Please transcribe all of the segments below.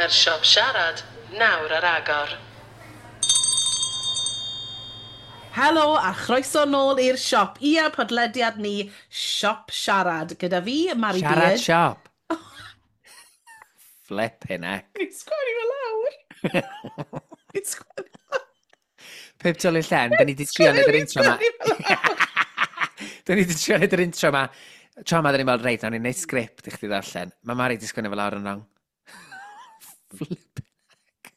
Mae'r siop siarad nawr ar agor. Helo a chroeso nôl i'r siop. Ia, podlediad ni, Siop Siarad. Gyda fi, Mari Siarad Beard. Siop. Flippin' heck. Fi'n sgwennu fe lawr. Fi'n sgwennu Pip Jolly Llen, da ni di trio neud yr intro ma. Da ni di trio neud yr intro ma. Tro ma, da ni'n meddwl, reit, nawn ni'n neud sgript i chdi ddarllen. Mae Mari di sgwennu fel lawr yn wrong. Flippin' heck.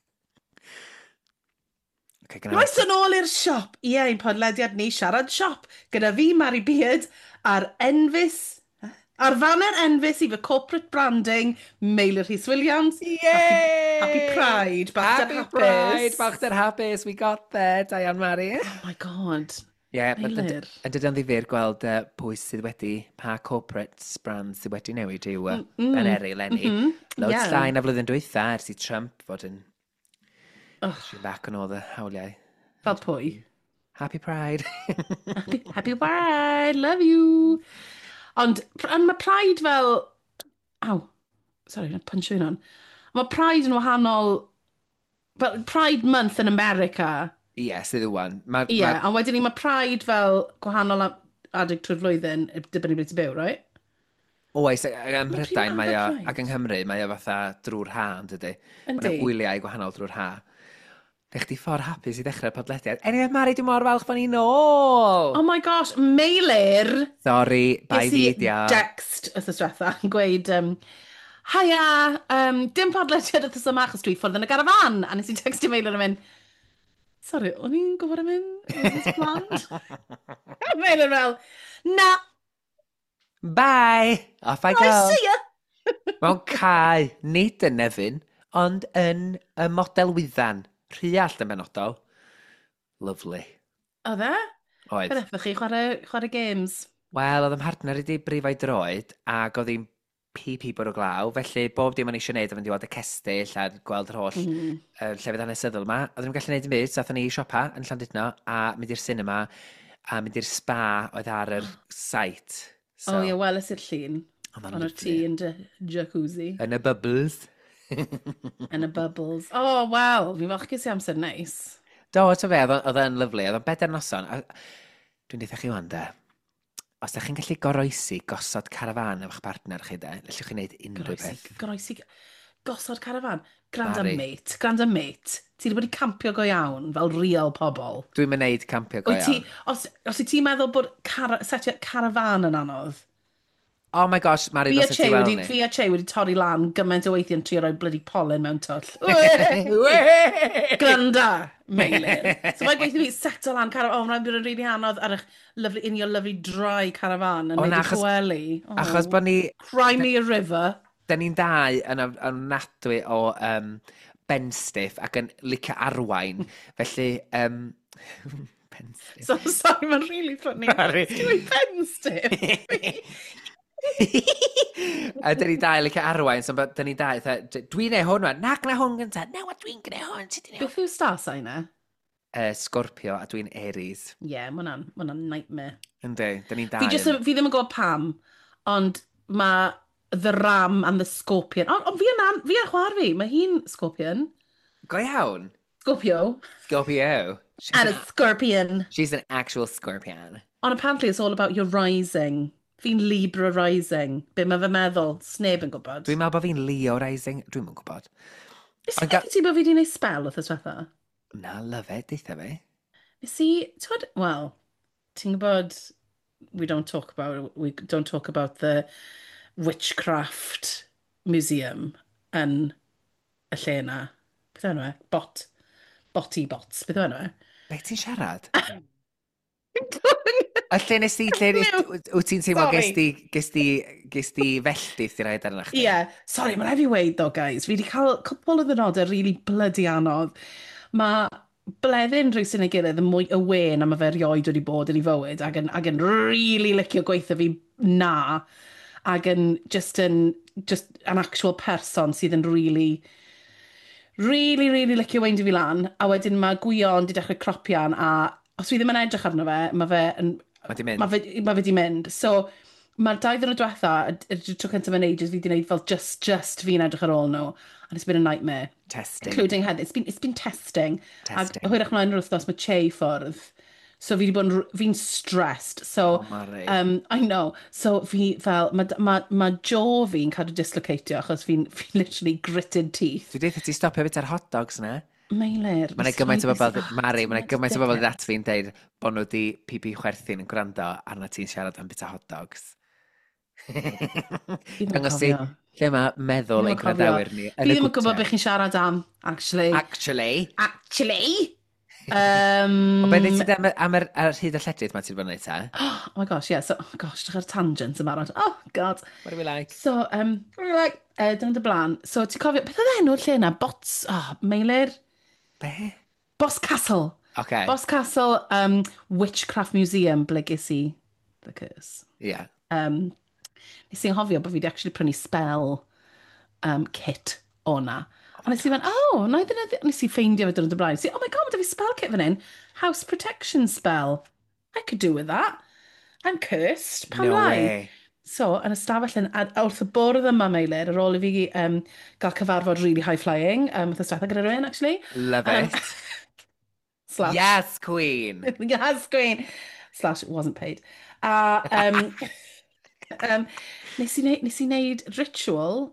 Okay, gynna Croeso nôl i'r siop. Ie, ein podlediad ni, Siarad Siop. Gyda fi, Mari Beard, a'r enfys... A'r faner enfys i fy corporate branding, Meilir Rhys Williams. Yay! Happy Pride, balchder Happy hapus. Pride, balchder hapus, we got there, Diane Mari. Oh my God. Ie, yeah, Meilir. yn dydy o'n ddifyr gweld pwy sydd wedi, pa corporate brand sydd wedi newid i'w baneri eleni. Loads llai na flwyddyn dwytha ers i Trump fod yn pushing back on all the hawliau. Fel pwy? Happy Pride. Happy, happy Pride, love you. Ond, ond mae Pride fel... Aw, sorry, na punch fi'n hwn. Mae Pride yn wahanol... Fel Pride Month yn America. Ie, yeah, sydd wan. Ma, Ie, yeah, a wedyn ni mae Pride fel gwahanol adeg trwy'r flwyddyn, dibynnu ble ti'n byw, right? Oes, ym pryd Mhrydain ma' mae o, Pride? ac yng Nghymru, mae o fatha drwy'r ha, yn dydy. Mae Yndi. yna wyliau gwahanol drwy'r ha. Neu chdi ffordd hapus i ddechrau'r podlediad. Anyway, Mari, dwi'n mor falch bod ni nôl! Oh my gosh, Meilir! Sorry, bye Ges i fi, dia. text wythnos diwetha yn gweud, haia, dim podlediad wythnos yma achos dwi ffwrdd yn y garafan. A nes i textio Meilir yn mynd, sorry, o'n i'n gwybod am hyn? Was this planned? A Meilir fel, na, Bye! Off I go. I see ya. Mewn cae, nid yn Nefyn, ond yn y model wyddan. Rhuallt yn benodol. Lovely. Oedd e? Oedd. Fe ddethoch chi chwarae games. Wel, oedd 'y mhartner i 'di brifo'i droed, ac oedd hi'n pi bwrw glaw, felly bob dim o'n i eisiau gwneud oedd fynd i weld y cestyll a gweld yr holl llefydd hanesyddol yma. Oedden ni'n gallu gwneud dim byd, so aethon ni i siopa yn Llandudno, a mynd i'r cinema, a mynd i'r spa oedd ar yr site. So, oh ie, weles i'r llun. Oedd o'n Ond o'r lyfli. ti yn dy jacuzzi. Yn y bubbles. Yn y bubbles. Oh, wel, fi'n falch ges i amser neis. Do, to fe, oedd o'n lyfli. Oedd o'n bedair noson. A dwi'n deutha chi wan, de. Os da chi'n gallu goroesi gosod carafan efo'ch partner chi, de, allwch chi wneud unrhyw Goroesi, beth. goroesi, gosod carafan. Granda Mari. mate, granda mate. Ti wedi bod i campio go iawn, fel real pobl. Dwi'n mynd neud campio go Wyt ti, iawn. os wyt ti'n meddwl bod setio carafan yn anodd? Oh my gosh, Mari, Fi a ddylse ti Che weld wedi, ni. fi a Che wedi torri lan gymaint o weithiau yn trio rhoi bloody pollen mewn twll. Granda, Meilir. So mae'n gweithio fi seto lan carafan. Oh, mae'n bod yn really anodd ar eich lovely, in your lovely dry caravan yn O, neud na, i gwely. Oh. Achos bod ni, Cry me a river. da ni'n dau yn ofnadwy o benstiff ac yn licio arwain. Felly, penstiff. So, sorry, mae'n really funny. Sorry. Dwi'n penstiff. A dyn ni dau licio arwain, so dyn ni dau, fatha, dwi'n neud hwn wan, na, gwna hwn gynta, na, wa, dwi'n gwneud hwn, ti di neud hwn. Beth yw star sign e? Scorpio, a dwi'n Aries. Ie, yeah, ma' hwnna'n nightmare. Yndi, dyn ni'n dau. Fi, just, fi ddim yn gwybod pam, ond mae the ram and the scorpion. Ond on, fi yn fi yn chwar fi, mae hi'n scorpion. Go iawn. Scorpio. Scorpio. She's, And a scorpion. she's an actual scorpion. Ond apparently it's all about your rising. Fi'n Libra rising. Be mae fe meddwl? Sneb yn gwybod. Dwi'n meddwl bod fi'n Leo rising. Dwi'n yn gwybod. Nes Ond i ti bod fi wedi gwneud spell wrth diwetha? Na, love it, deitha fi. Nes i, ti'n gwybod, wel, ti'n gwybod, we don't talk about the witchcraft museum yn y lle yna. Beth yw enw e? Bot. Botty bots. Beth yw enw e? Be ti'n siarad? A lle nes ti, lle nes, wyt ti'n teimlo Sorry. ges di felldith i raid arna chdi? Ie, yeah. Sorry, mae'n rhaid fi weud though, guys. Fi wedi cael cwpl o ddynodau really bloody anodd. Mae bleddyn rhywun ei gilydd yn mwy aware na mae fe erioed wedi bod yn ei fywyd ac yn really licio gweithio fi na ac yn just yn just an actual person sydd yn really really, really licio weindio fi lan, a wedyn mae Gwion wedi dechrau cropian, a os fi ddim yn edrych arno fe, mae fe yn Mae di mynd. Mae fe, ma fe di mynd. So, Mae'r 2 ddiwrnod diwetha, y tro cyntaf yn ages, fi wedi gwneud fel just fi'n edrych ar ôl nhw. And it's been a nightmare. Testing. Including heddi. It's been testing. Testing. A hwyrach mlaen yr wythnos mae Che i ffwrdd. So fi wedi bod yn, fi'n stressed. So, Oh, Mari. I know. So fi fel, ma jaw fi'n cadw dislocatio achos fi'n literally gritted teeth. Dwi dweud ti stopio bit ar hot dogs na. Meilir. Mae'n gymaint o bobl, Mari, mae'n gymaint o bobl at fi'n deud bod nhw wedi pipi chwerthin yn gwrando arna ti'n siarad am bita hot dogs. Dangos i lle mae meddwl ein gwrandawyr ni. Fi ddim yn gwybod beth chi'n siarad am, actually. Actually. Actually. O beth ti am yr hyd y lledrith mae ti'n bod yn neud ta? Oh my gosh, yeah. So, oh gosh, dechrau'r tangent yma. Oh, God. What do we like? So, what do we like? Dyna dy blaen. So, ti'n cofio, beth oedd enw'r lle yna? Bots, oh, Meilir? Be? Boscastle. Okay. Boscastle Witchcraft Museum, ble ges i the curse. Nes i'n hofio bod fi wedi actually prynu spell kit o na. A nes i fynd, "Oh, na i ddyn," nes i ffeindio fe dyn y blaen. Nes i, "Oh my God, mae 'da fi spell kit fan hyn. House protection spell. I could do with that. I'm cursed. Pam No lai?" way. So, yn y stafell yn, a wrth y bwrdd yma, Meilir, ar ôl i fi gael cyfarfod really high-flying, wrth y stafell gyda rhywun, actually. Love it. Slash. Yes, queen. Yes, queen. Slash, it wasn't paid. A nes i wneud ritual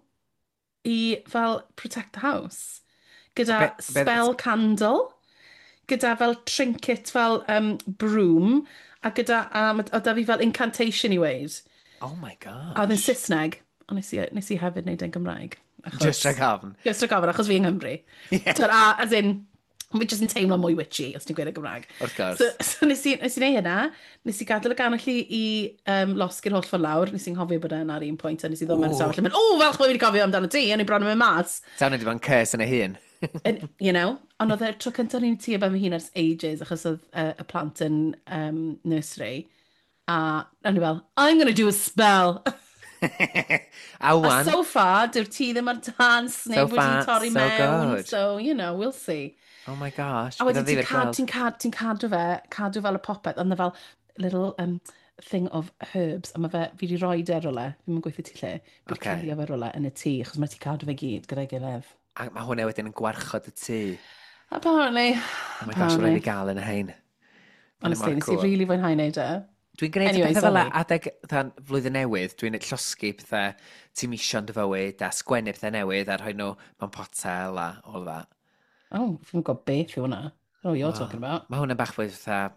i fel protect the house. Gyda spell candle, gyda fel trinket fel broom, a gyda, o da fi fel incantation i weid. Oh my God. A oedd yn Saesneg, ond nes i hefyd wneud e'n Gymraeg. Achos, Just rhag ofn. Just rhag ofn, achos fi yng Nghymru. Yeah. Twyd, a, as in, fi jyst yn teimlo mwy witchy os ti'n gweud y Gymraeg. Wrth gwrs. So nes i wneud hynna, nes i gadael y gannwyll i losgi'r holl ffordd lawr, nes i'n nghofio bod e'n ar un pwynt, a nes i ddod mewn i stafell a mynd, "O, falch bod fi wedi cofio amdano ti," o'n i bron yn mynd mas. Sawn wedi bod yn curse yn ei hun. And ond oedd y tro cyntaf ni'n tŷ ben fy hun ers ages, achos oedd y plant yn nursery, a o'n i fel, "I'm gonna do a spell." A A wan, so far, dyw'r tŷ ddim ar tân, sneb So wedi far, torri so mewn. good. So, we'll see. Oh my gosh. A wedyn bydd o'n ti'n ddifyr cad, gweld. ti'n cadw fe, cadw fel y popeth, ond fel little thing of herbs, a mae fe, fi wedi rhoi e rywle, fi'n mynd gweithio ti lle, fi wedi cuddio fe rywle yn y tŷ, achos mae ti cadw fe gyd gyda'i gilydd. A mae hwnna wedyn yn gwarchod y tŷ. Apparently. Oh my gosh, rhaid i gael yn y hein. Honestly, nes i really fwynhau wneud e. Dwi'n gwneud Anyway, pethau fel sorry. adeg fatha flwyddyn newydd, dwi'n llosgi pethau ti'n misio yn dy fywyd a sgwennu pethau newydd a rhoi nhw mewn potel a all that. Oh, fi'n gwybod beth yw hwnna. Oh, you're talking about. Mae hwnna'n bach fwy fatha,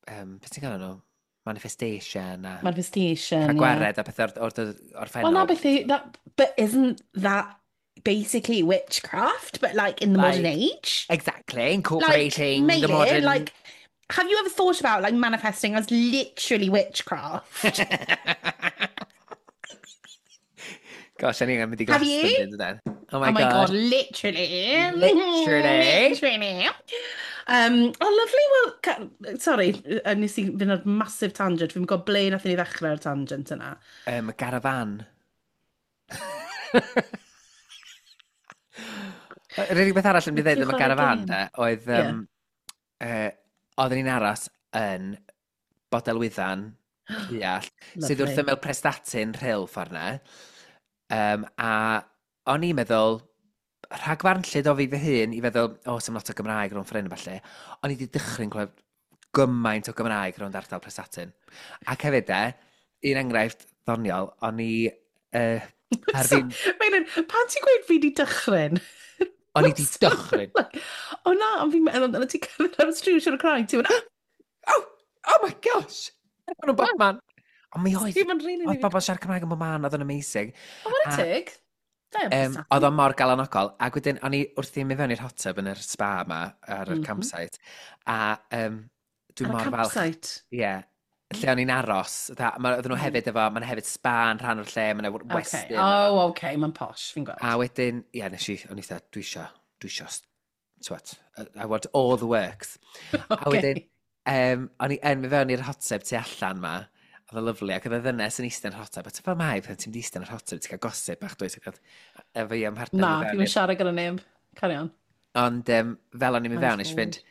beth ti'n gael nhw? Manifestation a Manifestation, cael yeah. gwared a pethau o'r orffennol. Well, na beth yw, that, but isn't that basically witchcraft, but like in the modern Like, age? Exactly, incorporating Like, the Meilir, modern. like, have you ever thought about like manifesting as literally witchcraft? Gosh, o'n i'n mynd i Have you? Glastonbury, dydyn? Oh my Oh my God, God. literally. Literally. Literally. Oh, lovely. Well, sorry, nes i fynd ar massive tangent. Fi'n gwybod ble nath ni ddechrau'r tangent yna. Garafan. Yr unig beth arall yn mynd i ddeud am y Chwarae garafan, gêm. de, oedd, oedden ni'n aros yn Bodelwyddan, Rhuallt, sydd wrth Lovely. ymyl Prestatyn Rhyl ffordd na. A o'n i'n meddwl, rhagfarnllyd o fi fy hun i feddwl, o, oh, lot o Gymraeg rownd ffordd hyn, falle. O'n i wedi dychryn clywed gymaint o Gymraeg rownd ardal Prestatyn. Ac hefyd de, un enghraifft ddoniol, o'n i ar So, fi'n Meilir, pan ti'n gweud fi di dychryn? O'n i di dychryn. Like, o na, ond fi'n meddwl, ond ti'n cerdded ar y stryd siarad Cymraeg, ti'n mynd, Oh, oh my gosh! Maen nhw'n bobman. Ond mi oedd, ti'n mynd really, oedd really. bobl siarad Cymraeg yn bob man, oedd o'n amazing. Oh, what a tig. Da iawn, Oedd o mor galanogol. Ac wedyn, o'n i wrth i mynd fewn i'r hot tub yn yr spa yma, ar yr campsite. A dwi'n Ar y mor falch. campsite. Ie. Yeah, lle o'n i'n aros. Oedden nhw hefyd efo, mae'n hefyd spa yn rhan o'r lle, mae'n westy. Oh, okay, mae'n posh, fi'n gweld. A wedyn, ie, yeah, nes i, o'n i dda, dwi isio, twat, I want all the works. A wedyn, o'n i yn mynd fewn i'r hot tub tu allan ma, oedd o'n lyfli, ac oedd y ddynes yn eistedd yn yr hot tub, a ti'n fel mai, pan ti'n mynd i eistedd yn yr hot tub, ti'n cael gossip bach, dwyt, ac oedd efo i am partner Na, mynd fewn fi'n i'r siarad gyda neb. Carry on. Ond fel o'n i'n mynd Nice fewn, nes i fynd, boy.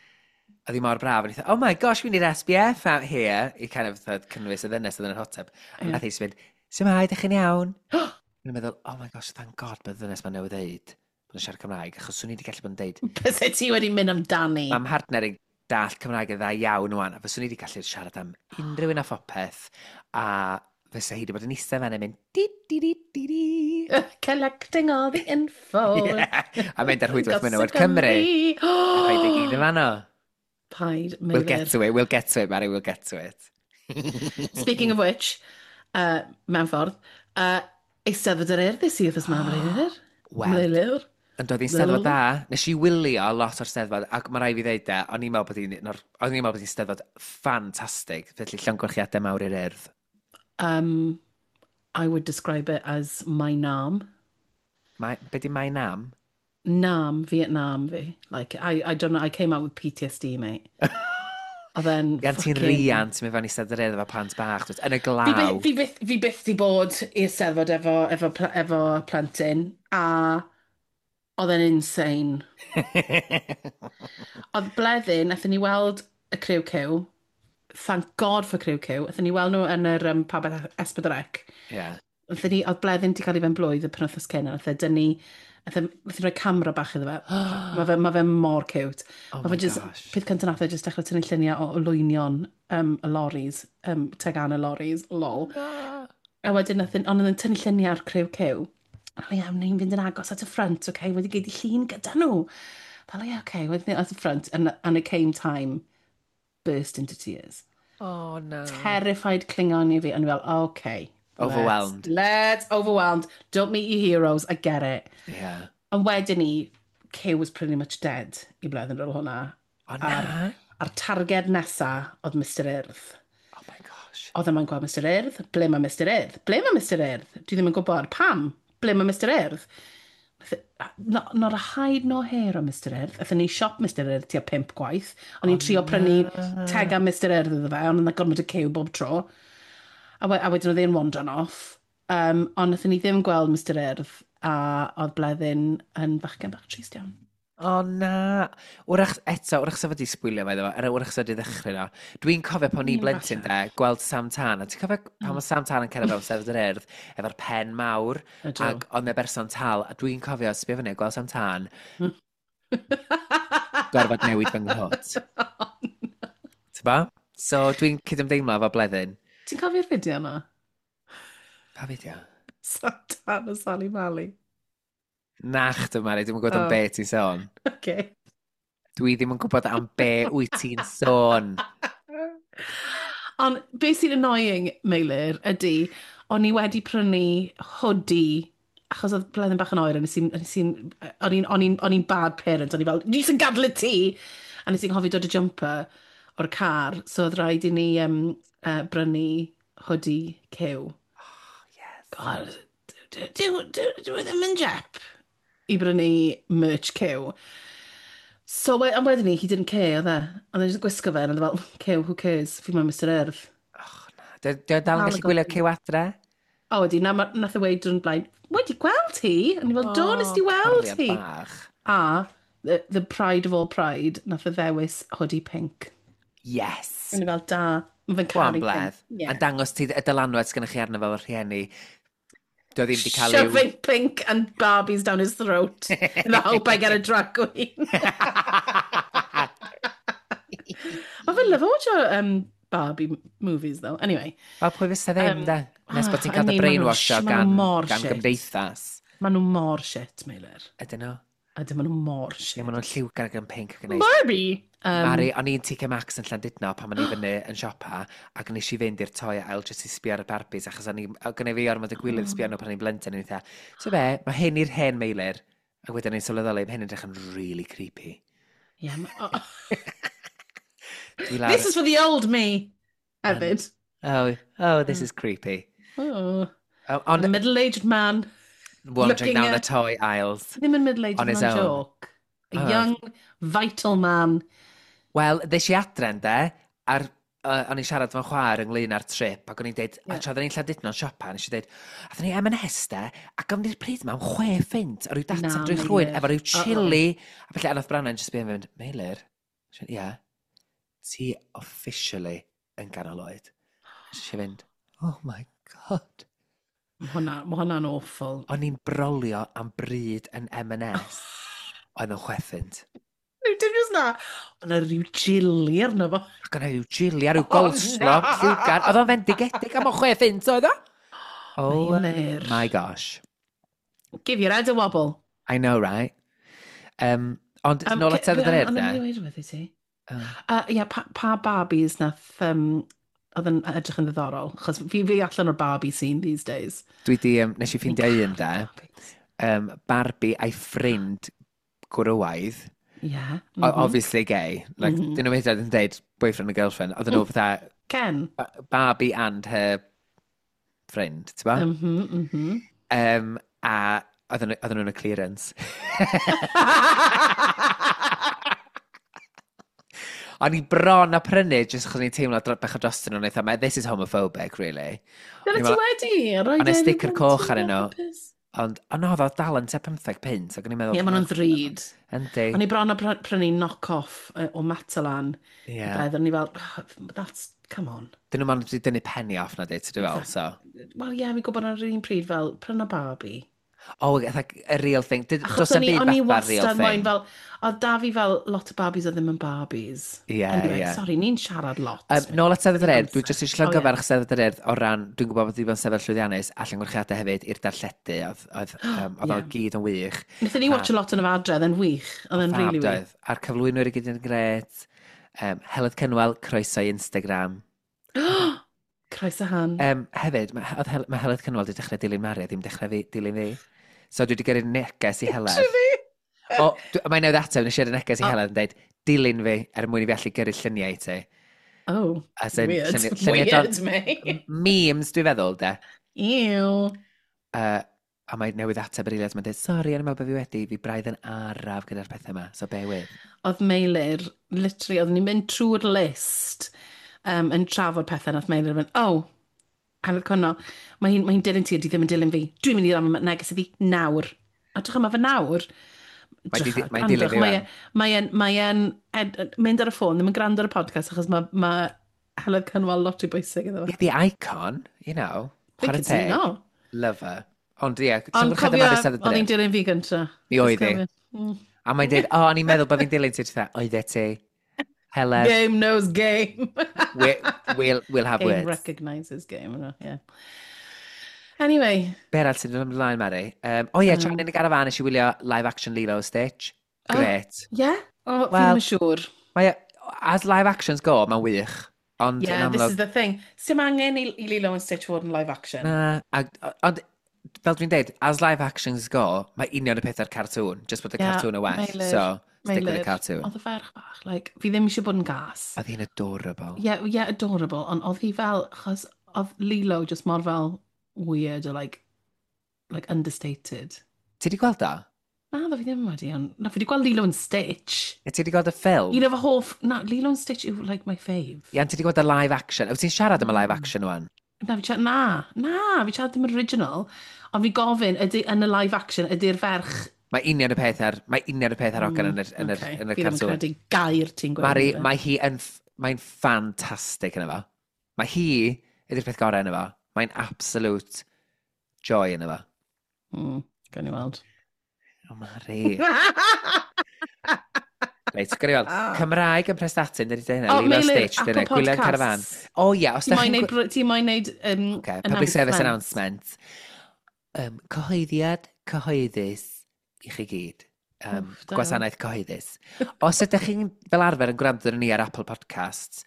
oedd hi mor braf, o'n i thought, "Oh my gosh, we need SPF out here," i kind of thought, cynnwys y ddynes oedd yn yr hot tub. A nath hi jyst fynd, Shwmae, ydych chi'n iawn? O'n i'n meddwl, "Oh my gosh, thank God bod ddynes ma'n newydd ddeud bod yn siarad Cymraeg," achos swn i wedi gallu bod yn deud. Byse ti wedi mynd amdani. Mae mhartner i'n dallt Cymraeg yn dda iawn wan, a fyswn i wedi gallu siarad am unrhyw un a phopeth, a fysa hi wedi bod yn eistedd fan yn mynd di di di di di. Collecting all the info. Yeah. A mynd ar rhwydwaith menywod Cymru. A rhaid i gyd yn fanno. Paid, We'll get to it, we'll get to it, Mari, we'll get to it. Speaking of which, mewn ffordd, Eisteddfod yr Urdd i wythnos 'ma, Meilir. Wel, Meilir. Yn dod i'n steddfod da. Nes i wylio lot o'r steddfod, ac mae rhaid fi ddeud de, o'n i'n meddwl bod hi'n o'n i'n meddwl bod hi'n steddfod ffantastig, felly llongyfarchiadau mawr i'r Urdd. I would describe it as my nam. Mae, be di my nam? Nam, Vietnam fi. Like, I don't know, I came out with PTSD, mate. Oedd e'n Gan ti'n riant mynd fewn i steddfod yr Urdd efo plant bach, dwyt, yn y Fi glaw. Fi byth di bod i'r steddfod efo plentyn, a oedd e'n insane. Oedd Bleddyn, nathon ni weld y Criw Cyw. Thank God for Criw Cyw. Nathon ni weld nhw yn yr pabell S4C. Nathon ni, oedd Bleddyn di cael ei ben blwydd y penwythnos cyn, a nath e dynnu, nath e rhoi camera bach iddo fe. Mae fe mor cute. Oh Ma' my fe just, gosh. Peth cyntaf nath e just dechrau tynnu lluniau o olwynion y loris, tegan y loris, lol. A wedyn nath e, ond oedd e'n tynnu lluniau ar Criw Cyw. A ie, ni'n fynd yn agos at y front, okay, wedi gyd i llun gyda nhw. Fel, ie, okay, wedyn at the front, and it came time, burst into tears. Oh no. Terrified cling-on i fi, ond i fel, okay. Overwhelmed. Let's, overwhelmed. Don't meet your heroes, I get it. Ond wedyn ni, Cyw was pretty much dead i Bleddyn ar ôl hwnna. O na. A'r targed nesa oedd Mr Urdd. Oh my gosh. Oedd yma'n gweld Mr Urdd. Ble mae Mr Urdd? Ble mae Mr Urdd? Dwi ddim yn gwybod. Pam? Ble mae Mr Urdd? Not a hide nor hair o Mr Urdd. Aethon ni siop Mr Urdd tua pump gwaith. O'n i'n trio prynu tegan Mr Urdd iddo fe, ond oedd 'na gormod o cyw bob tro. A wedyn oedd e'n wandran off. Ond nathon ni ddim gweld Mr Urdd, a oedd Bleddyn yn fachgen bach trist iawn. O na. Wrach, eto, wrach sa fo di sbwylio fe iddo fo, er wrach sa di ddechrau no. Dwi'n cofio pan o'n i'n blentyn falle. de, gweld Sam Tân, a ti'n cofio pan mae Sam Tân yn cerdded fewn Steddfod yr Urdd, efo'r pen mawr, Ydw. ac oedd 'na berson tal, a dwi'n cofio sbio fyny a gweld Sam Tân, gorfod newid fy nghot. Ti'n ba? So dwi'n cydymdeimlo efo Bleddyn. Ti'n cofio'r fideo yna? Pa fideo? Sam Tân a Sally Mally. Na chdi, Mari, dwi'n gwybod am be ti'n sôn. Okay. Dwi ddim yn gwybod am be wyt ti'n sôn. Ond beth sy'n annoying, Meilir, ydy, o'n i wedi prynu hoodie, achos oedd Bleddyn bach yn oer, a nes i'n, o'n i'n bad parent, o'n i fel, "Ni sy'n gadw y tŷ!" A nes i'n hoffi dod y jumper o'r car, so oedd rhaid i ni brynu hoodie Cyw. Oh, yes. God, dwi ddim yn jep i brynu merch Cyw. So, ond wedyn ni, he didn't care, oedd e. Oedd e'n just gwisgo fe, and oedd e fel, "Cyw, who cares, fi mae'n Mr Urdd." Och, na. Dio dal yn Dal yn gallu gwylio gofyn. Cyw adre? O, wedi, na, nath e weud drwy'n blaen, "Wedi gweld hi?" A ni fel, "Do, nes di weld Cariad hi." bach. A, the pride of all pride, nath e ddewis hoodie pink. Yes. A ni fel, "Da, mae fe'n Go on, caru pink." Bledd. Yeah. A dangos ti y dylanwad sgynnych chi arno fel y rhieni. Dio ddim wedi cael i'w. Shoving pink and Barbies down his throat in the hope I get a drag queen. Mae fe'n lyfo watcho Barbie movies, though. Anyway, Wel, pwy fysa ddim, de? Nes bod ti'n I cael dy mean, ma' nhw'n brainwashio ma' nhw gan, mor gan shit. gymdeithas. Maen nhw mor shit, Meilir. Ydyn nhw? Ydyn, maen nhw mor Ie, shit. maen nhw'n lliwgar ac yn pink ac yn neis. Barbie! Mari, o'n i'n TK Maxx yn Llandudno pan o'n i fyny yn siopa ac nes i fynd i'r toy aisle jyst i sbio ar y Barbies achos o'n i, o' gynna fi ormod o gwilydd sbio arno pan o'n i'n blentyn, o'n i'n fatha, "So be, mae hyn i'r hen Meilir," ac wedyn o'n i'n sylweddoli, mae hyn yn edrych yn really creepy. Yeah, oh. Dwi lawr, This is for the old me, hefyd. Oh, this is creepy." Oh. Oh, A on, middle-aged man. wandering looking down the toy aisles. Ddim yn middle-aged, On his mae'n own. joke. A Oh. young, vital man. Wel, ddes i adre, de, a'r, o'n i'n siarad efo'n chwaer ynglyn â'r trip, ac o'n i'n deud, a tra oedden ni'n Llandudno'n siopa, nes i deud, "Athon ni M&S de, a gofyn i'r pryd yma am 6 punt, o ryw data Na, drwy chrwyn, Meilir. efo ryw Uh-oh. chili," a felly, a nath Branwen just yn mynd, "Meilir," nes i fynd, "ie, ti officially yn ganol oed." Nes i fynd, "Oh my God." Ma hwnna'n awful. O'n i'n brolio am bryd yn M&S. Oedd yn 6 punt. Rhyw dim jyst na. Oedd yna rhyw chili arno fo. Ac o'na rhyw chili a rhyw coleslaw, na! Lliwgar. Oedd o'n fendigedig am o 6 punt oedd o? Oh Meilir. my gosh. Give your head a wobble. I know, right? Ond nôl at Steddfod yr Urdd, Ond de. yn mynd i weud i ti. Oh. Ie, pa Barbies nath, oedd yn edrych yn ddiddorol? Chos fi allan o'r Barbie scene these days. Nes i ffeindio un, de. Barbies. Barbie a'i ffrind gwrywaidd. Yeah. Mm -hmm. Obviously gay. Like, mm -hmm. Dyn nhw hyd yn dweud boyfriend and girlfriend. Oedden nhw fatha Ken. Barbie and her friend, ti'n ba? Mhm. A oedden nhw'n y clearance. O'n i bron a prynu, jyst achos o'n i'n teimlo bach o drostyn nhw'n eitha, this is homophobic, really. Dyna O'n i'n ti wedi. O'n i sticker coch arnyn nhw. Ond, o no, oedd o dal yn tua 15 punt, ac o'n i'n meddwl. Ie, maen nhw'n ddrud. Yndi. O'n i bron a prynu knock-off o Matalan. Ie. Yeah. O'n i fel, "Oh, that's, come on." Dyn nhw'n mond wedi dynnu penny off na di, ti'n fel, so. Wel, ie, fi'n gwybod ar yr un pryd fel, pryna Barbie. Oh, like, a real thing. Achos Does 'na'm o'n i, byd o'n i fatha real wastad moyn thing. fel, oedd da fi fel lot o Barbies oedd ddim yn Barbies. Ie, anyway, ie. Sorry, ni'n siarad lot. Nôl at Steddfod yr Urdd, dwi jyst eisiau O, ie. llongyfarch Steddfod yr Urdd o ran, dwi'n gwybod bod wedi bod yn sefyll llwyddiannus a llongyfarchiadau hefyd i'r darlledu, oedd o gyd yn wych. Wnaethon ni watch a lot yn y adre, oedd e'n wych. Oedd e'n Fab really wych. doedd. A'r cyflwynwyr i gyd yn gret. Heledd Cynwal, croeso i Instagram. Croeso han. Hefyd, mae Heledd Cynwal wedi dechrau dilyn Mari a ddim dechrau fi, dilyn fi. So dwi wedi gyrru neges i Heledd. O, mae'n newydd ateb, nes i yrru neges i Heledd yn dweud, "Dilyn fi er mwyn i fi allu gyrru lluniau i ti." Oh, As in, weird. lluniau Weird, me. Memes, dwi'n feddwl, de. Ew. A mae newydd ateb yr eiliad, mae'n dweud, "Sori, o'n i'n meddwl bod fi wedi, fi braidd yn araf gyda'r pethau yma, so bear with." Oedd Meilir, literally, oedden ni'n mynd trwy'r list yn trafod pethau, nath Meilir mynd, "Oh, Heledd Cynno, mae hi'n dilyn ti a di ddim yn dilyn fi. Dwi'n mynd i ddam neges iddi nawr." A drych yma fe nawr. Mae'n dilyn fi Mae wan. mae e'n mynd ar y ffôn, ddim yn gwrando ar y podcast, achos mae Heledd Cynwal lot i bwysig iddo fe. Yeah, the icon, you know. Fi'n Chwarae teg. cytuno. Love her. Ond ie, Ond llongyfarchiadau cofio, Mari Steddfod oedd yr hi'n Urdd. dilyn fi gynta. Mi oedd hi. A mae'n dweud, "O, o'n i'n meddwl bod fi'n dilyn ti," ti'n dweud, "Oeddet ti. Heledd, Game knows game. we'll have Game words." recognises game, yna, yeah. Anyway, Be arall sy'n dod ymlaen, Mari? O ie, tra yn y garafan nes i wylio live action Lilo Stitch. Oh. Great. Yeah? O, fi Wel, ddim yn siŵr. Mae, as live actions go, mae'n wych. Ond Yeah, yn this amlwg is the thing. Sim angen i Lilo and Stitch fod yn live action. Na, ond fel dwi'n deud, as live actions go, mae union y peth ar cartoon, just bod y Ie, cartoon yn well. Meilir, So, stick with the Meilir, cartoon. Oedd y ferch bach, like, fi ddim eisiau bod yn gas. Oedd hi'n adorable. Yeah, adorable, ond oedd hi fel, achos oedd Lilo just mor fel weird or like understated. Ti di gweld o? Na, ddo fi ddim wedi, ond na, fi wedi gweld Lilo and Stitch. Ie, ti di gweld y ffilm? Un o fy hoff, na, Lilo and Stitch yw like my fave. Ie, ti di gweld y live action? Wyt ti'n siarad am y live action wan? Na, fi siarad, na, fi siarad ddim original, ond fi gofyn, ydy, yn y live action, ydy'r ferch Mae union y peth ar, mae union y peth ar hogan Okay, yn yr fi ddim yn cartoon. credu gair ti'n gweud. Mari, mae hi yn, mae'n ffantastig yn efo. Mae hi ydy'r peth gorau yn efo. Mae'n absolute joy yn efo. Gawn ni weld. O, Mari. Reit, gawn ni weld. Cymraeg yn Prestatyn, dydy dweud hynna. O, Lilo Meilir, Stitch, Apple dyna. Gwylio'n carafan. Podcasts. O ie, os Ti da moyn chi'n neud, ti moyn neud Okay, public service announcement. announcement. Cyhoeddiad cyhoeddus i chi gyd. Wff, da iawn. Gwasanaeth cyhoeddus. Os ydych chi'n fel arfer yn gwrando arnon ni ar Apple Podcasts,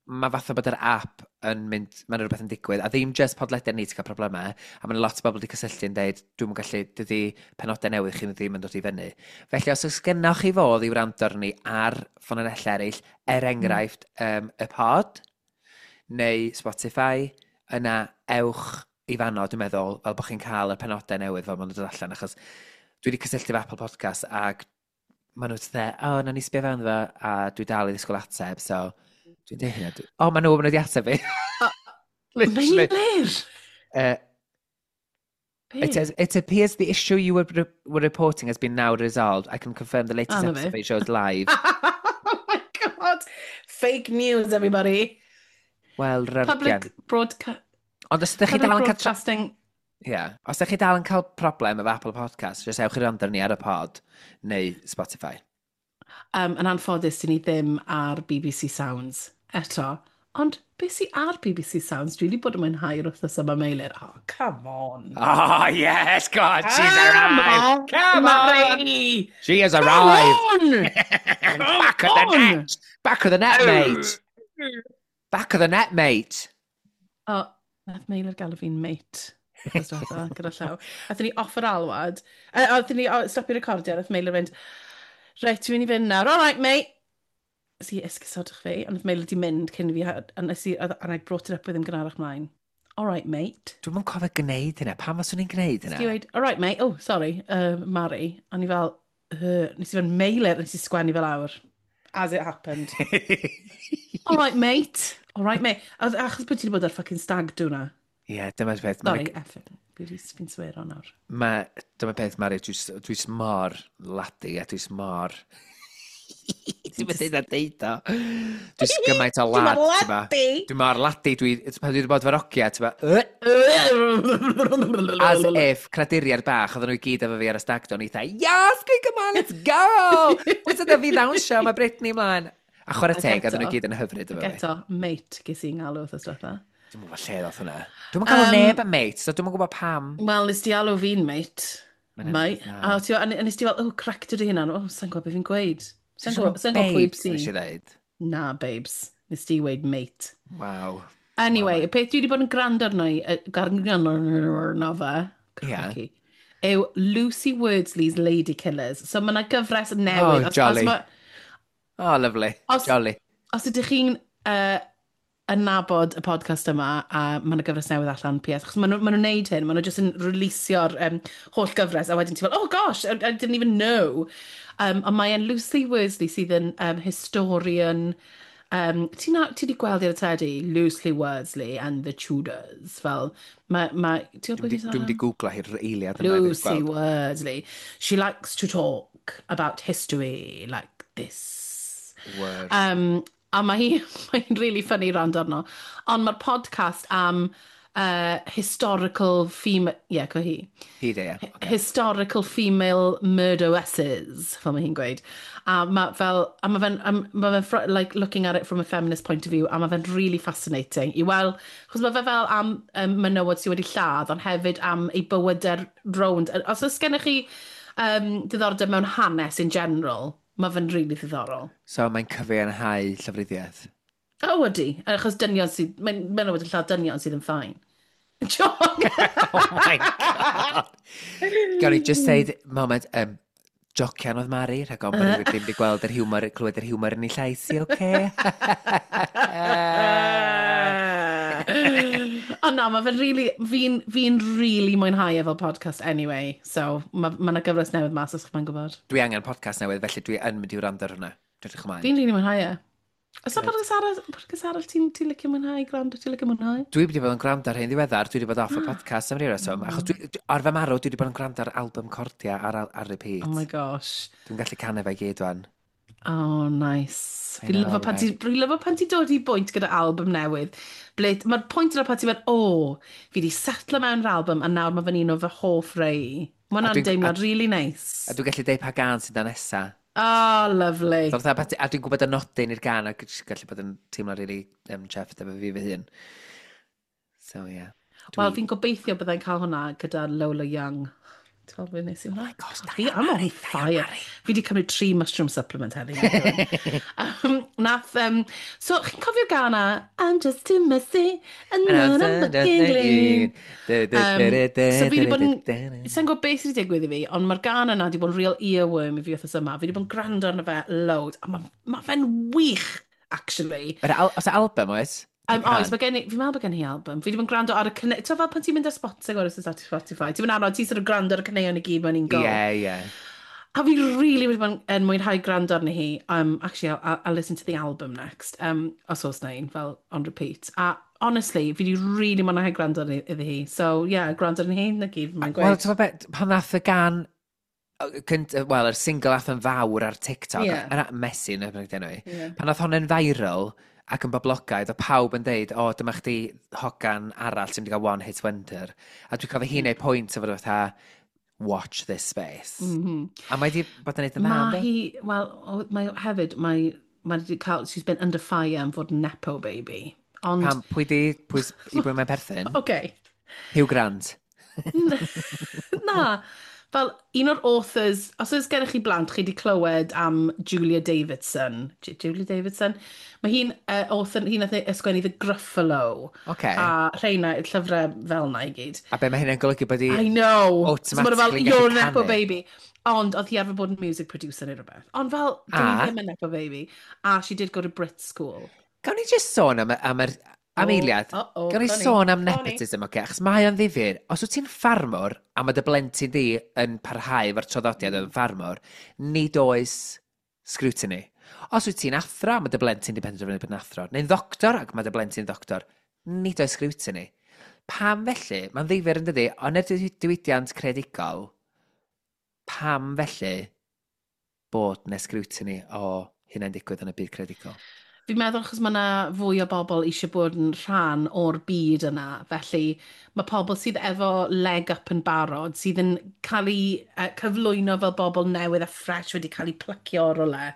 mae fatha bod yr app yn mynd, mae'n rhywbeth yn digwydd, a ddim just podlediad ni ti'n cael problemau, a mae'n lot o bobl wedi cysylltu yn dweud, "Dwi'm yn gallu, dydy penodau newydd chi ddim yn dod i fyny." Felly os oes gennoch chi fodd i wrando arni ar ffynonellau eraill, er enghraifft y pod, neu Spotify, yna ewch i fanno, dwi'n meddwl, fel bod chi'n cael y penodau newydd fel maen nhw'n dod allan, achos dwi wedi cysylltu efo Apple Podcast ac maen nhw'n dweud, "O, na ni sbio fewn fo," a dwi dal i ddisgwyl ateb, so dwi'n dweud hynna. O, maen nhw wedi ateb fi. Literally. Meilir! Be? It appears the issue you were reporting has been now resolved. I can confirm the latest Ah, na fe. episode shows live. Oh my God! Fake news, everybody. Wel, rargian. Public broadcast. Ond os ydych chi Public dal yn cael broadcasting Ie. Yeah. Os ydych chi dal yn cael problem efo Apple Podcast, jyst ewch i wrando ni ar y pod neu Spotify. Yn anffodus, dyn ni ddim ar BBC Sounds eto. Ond beth sydd ar BBC Sounds? Dwi wedi bod yn mwynhau'r wythnos yma, Meilir. Oh, come on. Oh, yes, God, she's arrived. Come on. Mari! She has arrived. Come on! Back of the net. Back of the net, mate. Back of the net, mate. Oh, nath Meilir galw fi'n mate. Wythnos diwetha, gyda llaw. Athyn ni off yr alwad. Athyn ni stopio recordio, nath Meilir fynd, "Reit, dwi'n mynd i fynd nawr. All right, mate." Nes i esgusodwch fi, ond nath Meilir di mynd cyn i fi, a nes i, and I brought it up with him gynharach mlaen. "All right, mate." Dwi'm yn cofio gwneud hynna. Pam fyswn i'n gwneud hynna? Nes i weud, "All right, mate. Oh, sorry, Mari." A ni fel, nes i fynd Meilir, nes i sgwennu fel awr. As it happened. "All right, mate. All right, mate." Achos bod ti wedi bod ar fucking stag do na. Ie, yeah, dyma'r peth. Sorry, effing. Fi'n swear on nawr. Ma, dyma peth, Mari, dwi mor laddie a dwi mor... Dwi'n mynd a deud o. Dwi'n gymaint o lad, ti'n ba? Laddie! Dwi'n mor laddie, pan dwi wedi bod efo'r ogia, ti'n ba? As if, craduriad bach, oedden nhw i gyd efo fi ar y stag do, o'n i dda, "Yes, come on, let's go! What's yna fi ddawnsio, mae Britney ymlaen." A chwarae Ac teg, oedden nhw eto- gyd yn hyfryd efo fi. Eto, mate, ges i'n galw wrth diwetha. Dwi'n gwybod lle ddoth hwnna. Dwi'n galw neb yn mate, so dwi'n gwybod pam. Wel, nes di alw fi'n mate. Mae'n Mate. na. A ti, a nes di fel, oh, corrected dy hunan. Oh, sa'n gwybod beth fi'n gweud. Sa'n gwybod sa'n gwybod pwy Babes, nes i sy'n. ddeud. Na, babes. Nes di weud mate. Waw. Anyway, y peth dwi wedi bod yn gwrando arno i, gwrando arno fe, crikey, yw Lucy Wordsley's Lady Killers. So mae yna gyfres newydd. Oh, jolly. Oh, lovely. Jolly. Os ydych chi'n yn nabod y podcast yma, a mae yna gyfres newydd allan, PS, achos ma nhw'n neud hyn, maen nhw jyst yn releasio'r holl gyfres, a wedyn ti'n fel, "Oh gosh, I didn't even know." Ond mae e'n Lucy Wordsley sydd yn historian, ti wedi gweld i ar y teledu, Lucy Wordsley and the Tudors, fel, mae, ti'n gwybod Dwi'n pwy mynd i googlo hi'r eiliad yma. Lucy Wordsley. She likes to talk about history like this. Word. A mae hi'n really funny rand arno. Ond mae'r podcast am historical female... Yeah, co hi. Hi de, ie. Okay. Historical female murderesses, fel mae hi'n gweud. A mae fel, a mae fe'n, ma fe'n like, looking at it from a feminist point of view, a mae fe'n really fascinating. I weld, chos mae fe fel am menywod sydd wedi lladd, ond hefyd am ei bywydau'r rownd. Os oes gennych chi diddordeb mewn hanes in general, mae fe'n really ddiddorol. So mae'n cyfiawnhau llofruddiaeth. O, oh, ydy. Achos dynion sydd... Mae'n menywod yn lladd dynion sydd yn fine. Joke! Oh my God! Gawn ni just deud, moment, jocian oedd Mari, rhag ofn bod rhywun ddim wedi gweld yr hiwmor, clywed yr hiwmor yn ei llais i, oce? Ond na, mae fe'n really... Fi'n really mwynhau e fel podcast anyway. So, mae ma 'na gyfres newydd mas os chi'n gwybod. Dwi angen podcast newydd, felly dwi yn mynd i wrando ar hwnna. Dwi'n edrych ymlaen. Fi'n really mwynhau e. Oes 'na podcast arall ti'n licio mwynhau, gwrando, ti'n licio mwynhau? Dwi wedi bod yn gwrando ar hyn ddiweddar, dwi wedi bod off y podcast am ryw reswm, achos dwi, ar fy marw, dwi wedi bod yn gwrando ar album Cordia ar repeat. Oh my gosh. Dwi'n gallu canu fe i gyd wan. Oh, nice. I Fi'n know, lyfo pan ti, dwi'n lyfo pan ti'n dod i bwynt gyda album newydd. Ble, mae'r pwynt yna pan ti'n mynd, "O, fi wedi setlo mewn yr album a nawr mae fe'n un o fy hoff rei." Mae hwnna'n deimlad really nice. A dwi'n gallu deud pa gan sydd na nesa. Oh, lovely. So, fatha, a dwi'n gwybod y nodyn i'r gan ac jyst gallu bod yn teimlo really chuffed efo fi fy hun. So, yeah. Wel, fi'n gobeithio byddai'n cael hwnna gyda Lola Young. Ti'n gweld beth nes i hwnna? Oh my gosh, da Fi, iawn, I'm on Mari, da iawn, fire. Mari. Fi wedi cymryd tri mushroom supplement heddi. So, chi'n cofio'r gân 'na? "I'm just too messy, and now I'm looking clean." So fi wedi bod yn... Sa'n gwybod beth sydd wedi digwydd i fi, ond mae'r gân yna wedi bod yn real earworm i fi wythnos yma. Fi wedi bod yn gwrando arno fe loads, a ma fe'n wych, actually. Oes album, oes? Oes, mae gen i, fi'n meddwl bod gen i album. Fi wedi bod yn gwrando ar y cyneu... Ti'n fel pan ti'n mynd ar Spotify, oes, ar Spotify, ti'n mynd arno, ti'n sort of gwrando ar y caneuon i gyd mewn un go. Ie, ie. A fi really wedi bod yn mwynhau gwrando arni hi. Actually, I'll listen to the album next. Os oes na un, fel on repeat. A honestly, fi wedi really mwynhau gwrando arni iddi hi. So, yeah, gwrando arni hi, na gyd, mae'n Wel, gweud. ti'n gwbod be, pan ddath y gan, wel, yr single ath yn fawr ar TikTok, Ie. yna Messi, neu beth enw i, Ie. pan ddath honna'n viral, ac yn boblogaidd, o pawb yn deud, "O, dyma chdi hogan arall sy'n mynd i gael one hit wonder." A dwi'n cofio hi'n neud pwynt o fod fatha, "Watch this space." A mae di bod yn neud yn dda, Mae yndi? hi, wel, mae hefyd, mae wedi cael, she's been under fire am fod yn nepo baby. Ond, Pam, pwy di, pwy, i bwy mae'n perthyn? Okay. Hugh Grant. Na, fel un o'r authors, os oes gennych chi blant, chi wedi clywed am Julia Davidson. Julia Davidson? Mae hi'n author, hi'n nath ysgrifennu The Gruffalo. A rheina, llyfrau fel na i gyd. A be mae hynny'n golygu, bod i I know. So ma' nhw fel, automatically gallu "You're a nepo canu? baby." Ond oedd hi arfer bod yn music producer neu rhywbeth. Ond fel, dwi ddim yn nepo baby. A she did go to Brit school. Gawn ni just sôn am Oh, eiliad. uh-oh, Gawn ni funny. sôn am Funny. nepotism, oce? Achos mae o'n ddifyr. Os wyt ti'n ffarmwr a mae dy blentyn di yn parhau efo'r traddodiad yn ffarmwr, nid oes scrutiny. Os wyt ti'n athro a mae dy blentyn di penderfynu bod yn athro, neu'n ddoctor ac mae dy blentyn ddoctor, nid oes scrutiny. Pam felly? Mae'n ddifyr yn dydi, ond yr diwydiant creadigol, pam felly bod 'na scrutiny o hynna'n digwydd yn y byd creadigol? Fi'n meddwl achos mae yna fwy o bobl eisiau bod yn rhan o'r byd yna. Felly mae pobl sydd efo leg up yn barod, sydd yn cael eu cyflwyno fel bobl newydd a fresh wedi cael eu plucio o'r rwle,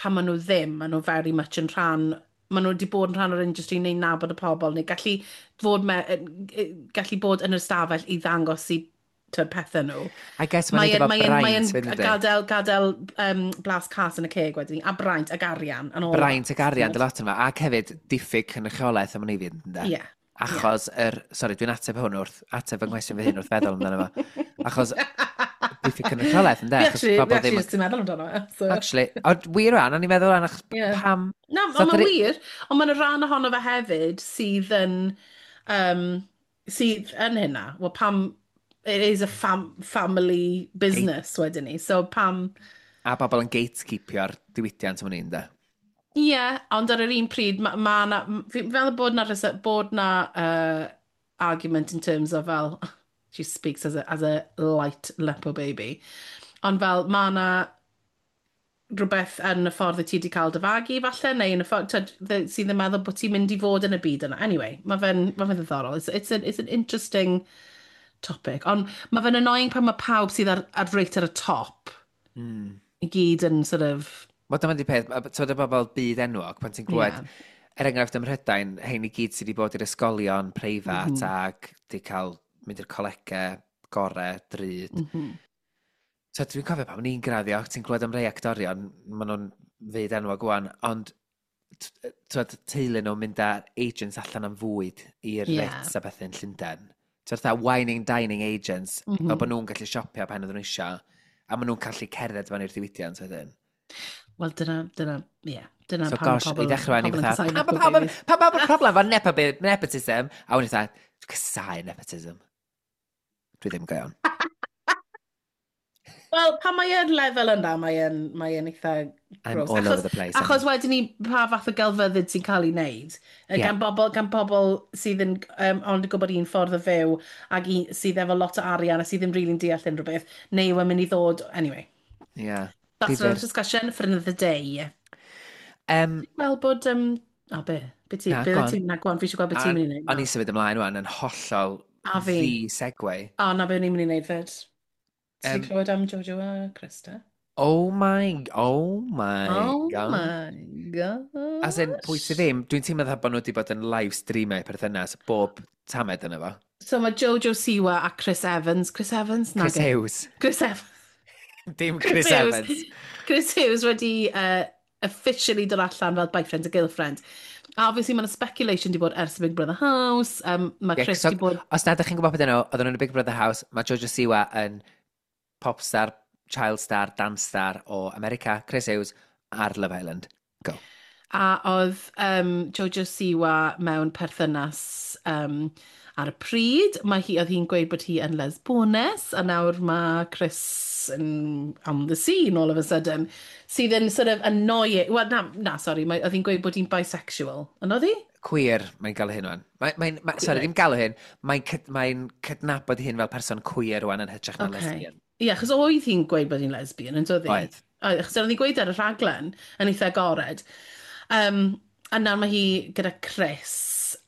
pan maen nhw ddim, maen nhw very much yn rhan, maen nhw wedi bod yn rhan o'r industry neu'n nabod y pobl, neu gallu bod yn yr ystafell i ddangos i, twyd, pethau nhw. I guess mae'n neud efo Mae braint fyd, yndi? gadael blas cas yn y ceg wedyn, a braint ag arian. And all Braint that, ac arian, t'mod? dy lot yma. Ac hefyd, diffyg cynrychiolaeth am hynny fyd, ynde? Ie. Achos yr... Sori, dwi'n ateb hwn wrth... Ateb fy nghwestiwn fy hun wrth feddwl amdano fo. Achos diffyg cynrychiolaeth, ynde? Fi Achos actually, fi bobl actually ddim just yn meddwl amdano fe. So. Actually, ond wir rhan, o'n i'n meddwl rhan, achos pam Na, So ond mae'n wir, ond mae'n rhan ohono fe hefyd sydd yn hynna. Wel, pam, it is a family business wedyn ni, so pam. A bobl yn gatekeepio'r diwydiant am hynny, ynde? Ie, yeah, ond ar yr un pryd, mae ma na, fi'n meddwl bod na argument in terms of fel, she speaks as a light nepo baby, ond fel mae na rhywbeth yn y ffordd y ti wedi cael dy fagu falle, neu yn y ffordd tyd, sydd yn meddwl bod ti'n mynd i fod yn y byd yna. Anyway, mae fe'n ddiddorol. It's an interesting topic. Ond mae fe'n annoying pan mae pawb sydd ar reit ar y top i gyd yn sort of. Wel, dyma di peth, ti'n y bobl byd enwog, pan ti'n glywed, er enghraifft ym Mhrydain, hein i gyd sydd wedi bod i'r ysgolion preifat ac di cael mynd i'r colegau gore, drud. So, dwi'n cofio pan o'n i'n graddio, ti'n clywed am rei actorion, maen nhw'n fyd enwog wan, ond t'wod, teulu nhw'n mynd â agents allan am fwyd i'r Ritz a bethau yn Llundain. Ti'n fatha wining dining agents, fel bod nhw'n gallu siopio pan oedden nhw eisiau, a maen nhw'n gallu cerdded fewn i'r diwydiant wedyn. Wel, dyna, ie, yeah, dyna So pam gosh, pobl, i ddechrau ni pobl yn fatha, casáu pam nepo pam babies. pam pam problem efo nepotism? A wedyn fatha, dwi'n casáu nepotism. Dwi ddim go iawn. Wel, pan mae yn lefel yna, mae yn eitha I'm gross. all over the place. Achos wedyn ni, pa fath o gelfyddyd sy'n cael ei wneud. Gan bobl sydd yn ond yn gwybod un ffordd o fyw ac un, sydd efo lot o arian a sydd ddim really'n deall unrhyw beth, neu yw e'n mynd i ddod. Anyway, that's Difyr. another discussion for another day. Wel, bod... O, be? Be ti? Na, Be go on. ti? Na, go on, fi eisiau gweld beth ti'n mynd i wneud. O'n i symud ymlaen wan yn hollol A fi. ddi-segue. O, na be o'n i'n mynd i wneud fyd. Ti wedi clywed am Jojo a Krista? Oh my Oh God. my gosh. As in, pwy sydd ddim, dwi'n teimlo fatha bod nhw wedi bod yn live streamio perthynas bob tamed yna fo. So mae Jojo Siwa a Chris Evans. Chris Evans? Chris Nage. Hughes. Chris Evans. Dim Chris Hughes. Evans. Chris Hughes wedi officially dod allan fel boyfriend a girlfriend. A obviously mae'n speculation di bod ers y Big Brother House. Mae Chris so, di bod. Os na ydych chi'n gwybod beth nhw, oedden nhw'n y Big Brother House, mae Jojo Siwa yn pop star, child star, dance star o America, Chris Hughes, ar Love Island. Go. A oedd Jojo Siwa mewn perthynas ar y pryd. Oedd hi'n gweud bod hi yn lesbones, a nawr mae Chris yn on the scene all of a sudden, sydd yn sort of annoying. Wel, na, sorry, oedd hi'n gweud bod hi'n bisexual. Yn oedd hi? Queer, mae'n galw hyn wan. Mae, sorry, ddim galw hyn, mae'n mae cydnabod hyn fel person queer wan yn hytrach na lesbian. Ie, yeah, achos oedd hi'n gweud bod hi'n lesbian, yn doedd hi? Oedd. Oedd, achos oedd hi'n gweud ar y rhaglen yn eitha agored. A nawr mae hi gyda Chris,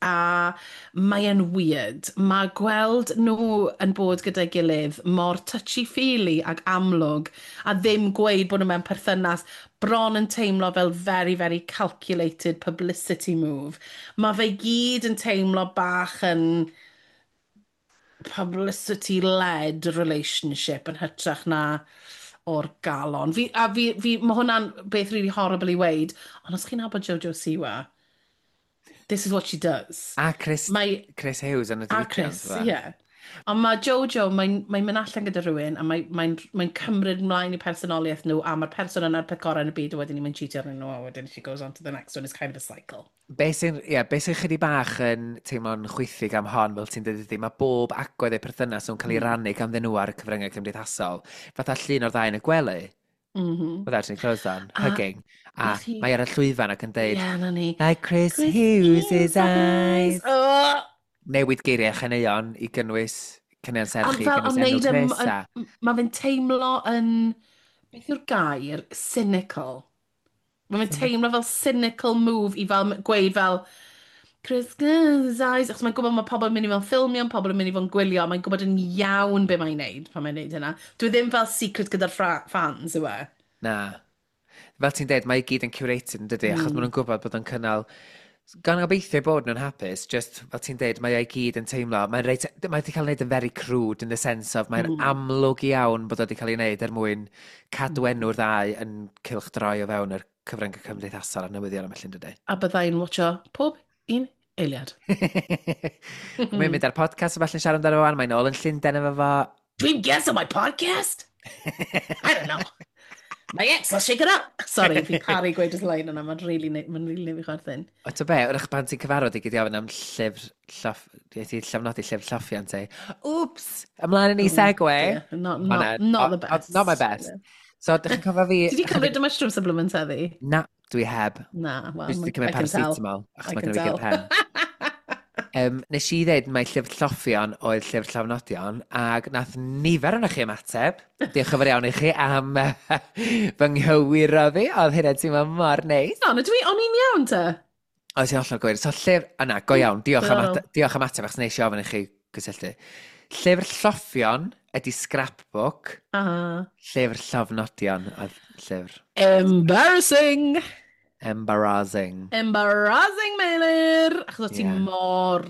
a mae e'n weird. Mae gweld nhw yn bod gyda'i gilydd mor touchy-feely ag amlwg, a ddim gweud bod nhw mewn perthynas, bron yn teimlo fel very, very calculated publicity move. Mae fe gyd yn teimlo bach yn publicity-led relationship yn hytrach na o'r galon. Fi, a fi, fi, mae hwnna'n beth really horrible i weud, ond os chi'n nabod Jojo Siwa, this is what she does. A Chris, Chris Hughes yn y A diwydiant. Chris, ie. Yeah. Ond mae Jojo, mae'n mynd allan gyda rhywun a mae'n mae cymryd mlaen i personoliaeth nhw a mae'r person yna'r peth gorau yn y byd a wedyn ni'n cheatio arnyn nhw a wedyn she goes on to the next one. It's kind of a cycle. Be sy'n, yeah, be sy'n chydig bach yn teimlo'n chwithig am hon, fel ti'n dweud ydy, mae bob agwedd eu perthynas nhw'n cael ei rannu ganddyn nhw ar y cyfryngau cymdeithasol. Fatha llun o'r ddau yn y gwely, without any clothes on, hugging. A mae ar y llwyfan ac yn deud, Ie, na ni. "Like Chris, Chris Hughes' eyes." Oh! Newid geiriau chaneuon i gynnwys caneuon Ond serch i fel, gynnwys ond enw neud Chris a mae fe'n teimlo yn, beth yw'r gair? Cynical. Mae fe'n teimlo fel cynical move i fel gweud fel, "Chris Hughes' eyes," achos mae'n gwybod mae pobl yn mynd i fod yn ffilmio, pobl yn mynd i fod yn gwylio, mae'n gwybod yn iawn be mae'n neud pan mae'n neud hynna. Dwi ddim fel secret gyda'r fans, yw e? Na. Fel ti'n deud, mae i gyd yn curated yn dydy, achos maen nhw'n gwybod bod o'n cynnal. Gan gobeithio bod nhw'n hapus, just fel ti'n deud, mae o'i gyd yn teimlo, mae'n reit, mae wedi cael ei wneud yn very crude in the sense of, mae'n amlwg iawn bod o wedi cael ei wneud er mwyn cadw enw'r ddau yn cylchdroi o fewn yr cyfryngau cymdeithasol a'r newyddion am llun, dydy. A byddai'n watcho pob un eiliad. Mae'n mynd ar podcast o falle'n siarad amdano fo, wan, mae'n ôl yn Llundain efo fo. Dream guest on my podcast? I don't know. My ex, I'll shake it up. Sorry, fi'n caru gweud y line yna, mae'n really neud fi chwerthin. O, to be, wrach pan ti'n cyfarfod i gyd i ofyn am llyfr, lloff, ti llofnodi llyfr lloffion ti. Oops! Ymlaen yn i segue. Yeah, not, Ma' not, not the best. Not my best. So, dych chi'n cofio fi? Ti di cymryd y mushroom supplement heddi? Na, dwi heb. Na, well, Dwi wedi cymryd I can tell. paracetamol, achos I mae can gen i fi tell. gur pen. Nes i ddeud mai llyfr lloffion oedd llyfr llofnodion, ac nath nifer o'n chi ymateb. Diolch yn fawr iawn i chi am fy nghywiro fi. Oedd hynna'n teimlo mor neis. No, na dwi, o'n i'n iawn te. Oedd ti'n hollol gywir. So llyfr, o na, go iawn, Diddorol. diolch am ateb, achos neis i ofyn i chi gysylltu. Llyfr lloffion ydy scrapbook, Ah. llyfr llofnodion oedd llyfr. Embarrassing! Embarrassing. Embarrassing, Meilir! Achos o ti mor.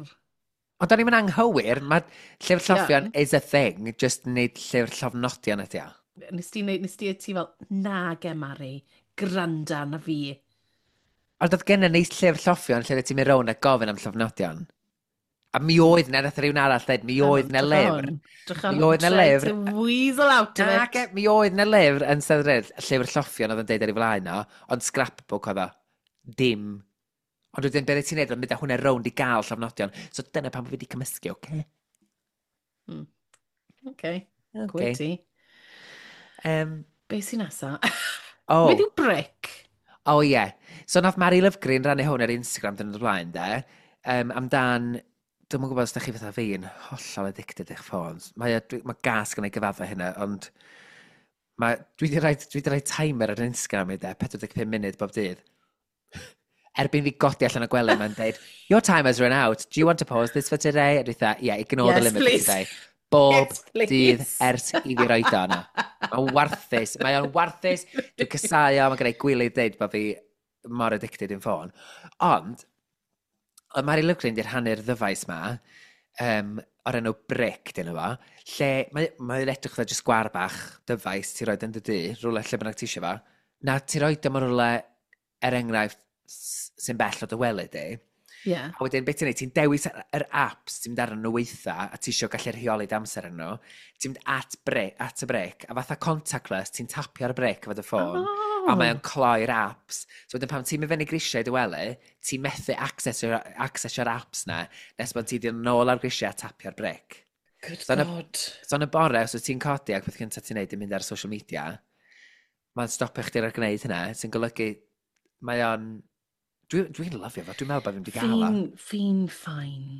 Ond o'n i'n anghywir, mae llyfr lloffion is a thing, just nid llyfr llofnodion ydy o. Nes ti ti fel, "Na ge, Mari, granda na fi." Ond oedd gennym ni llyfr lloffion lle ti'n mynd rownd a gofyn am llofnodion. A mi oedd na, nath rhywun arall dweud, mi oedd na lyfr. Mi oedd 'na lyfr. To weasel out of Na, it. ge, mi oedd na lyfr yn Steddfod, llyfr lloffion oedd yn deud ar ei flaen o, ond scrapbook oedd o. Dim. Ond wedyn, beth ti'n neud, oedd mynd â hwnna rownd i gael llofnodion. So dyna pam fi wedi cymysgu, oce? Okay, Okay. gwyt ti. Be sy'n nesa? Oh, Beth yw brick? oh ie. Yeah. So nath Mary Lovegreen rannu hwn ar Instagram dyn o'r blaen, de. Amdan, dwi'm yn gwybod os da chi fatha fi yn hollol addicted i'ch ffôns. Mae gas gen i gyfadda hynna, ond dwi wedi rhoi timer ar Instagram i de, 45 munud bob dydd. Erbyn fi godi allan o gwely, mae'n deud, "Your time has run out. Do you want to pause this for today?" A dwi fatha, "Yeah, ignore the Yes, limit please. for today." Bob Yes, please. dydd ers i fi roed o yna. Mae'n warthus. Mae o'n warthus. Dwi'n casau o, mae gen i gwilydd deud bod fi mor addicted i'n ffôn. Ond, oedd Mary Lovegreen di rhannu'r ddyfais ma, o'r enw Brick, dyn nhw fo, lle mae'n edrych fel jyst sgwar bach dyfais ti'n roed yn dy dŷ, rhywle lle bynnag ti eisiau fo. Na, ti'n roed o mewn rhywle, er enghraifft, sy'n bell o dy wely di. A wedyn, beth ti'n neud, ti'n dewis yr apps ti'n mynd arnyn nhw weitha, a ti isio gallu rheoli dy amser arnyn nhw. Ti'n mynd at y brick, a fatha contactless, ti'n tapio ar y brick efo dy ffôn, a mae o'n cloi'r apps. So wedyn pan ti'n mynd fyny grisiau i dy wely, ti'n methu accessio'r apps na, nes bod ti di nôl ar grisiau a tapio'r brick. Good So God. So yn y bore, os wyt ti'n codi ac peth cyntaf ti'n neud yn mynd ar social media, mae'n stopio chdi ar gwneud hynna, sy'n golygu, mae o'n. Dwi'n lyfio fo, dwi'n meddwl bod fi'n wedi gael o. Fi'n fine.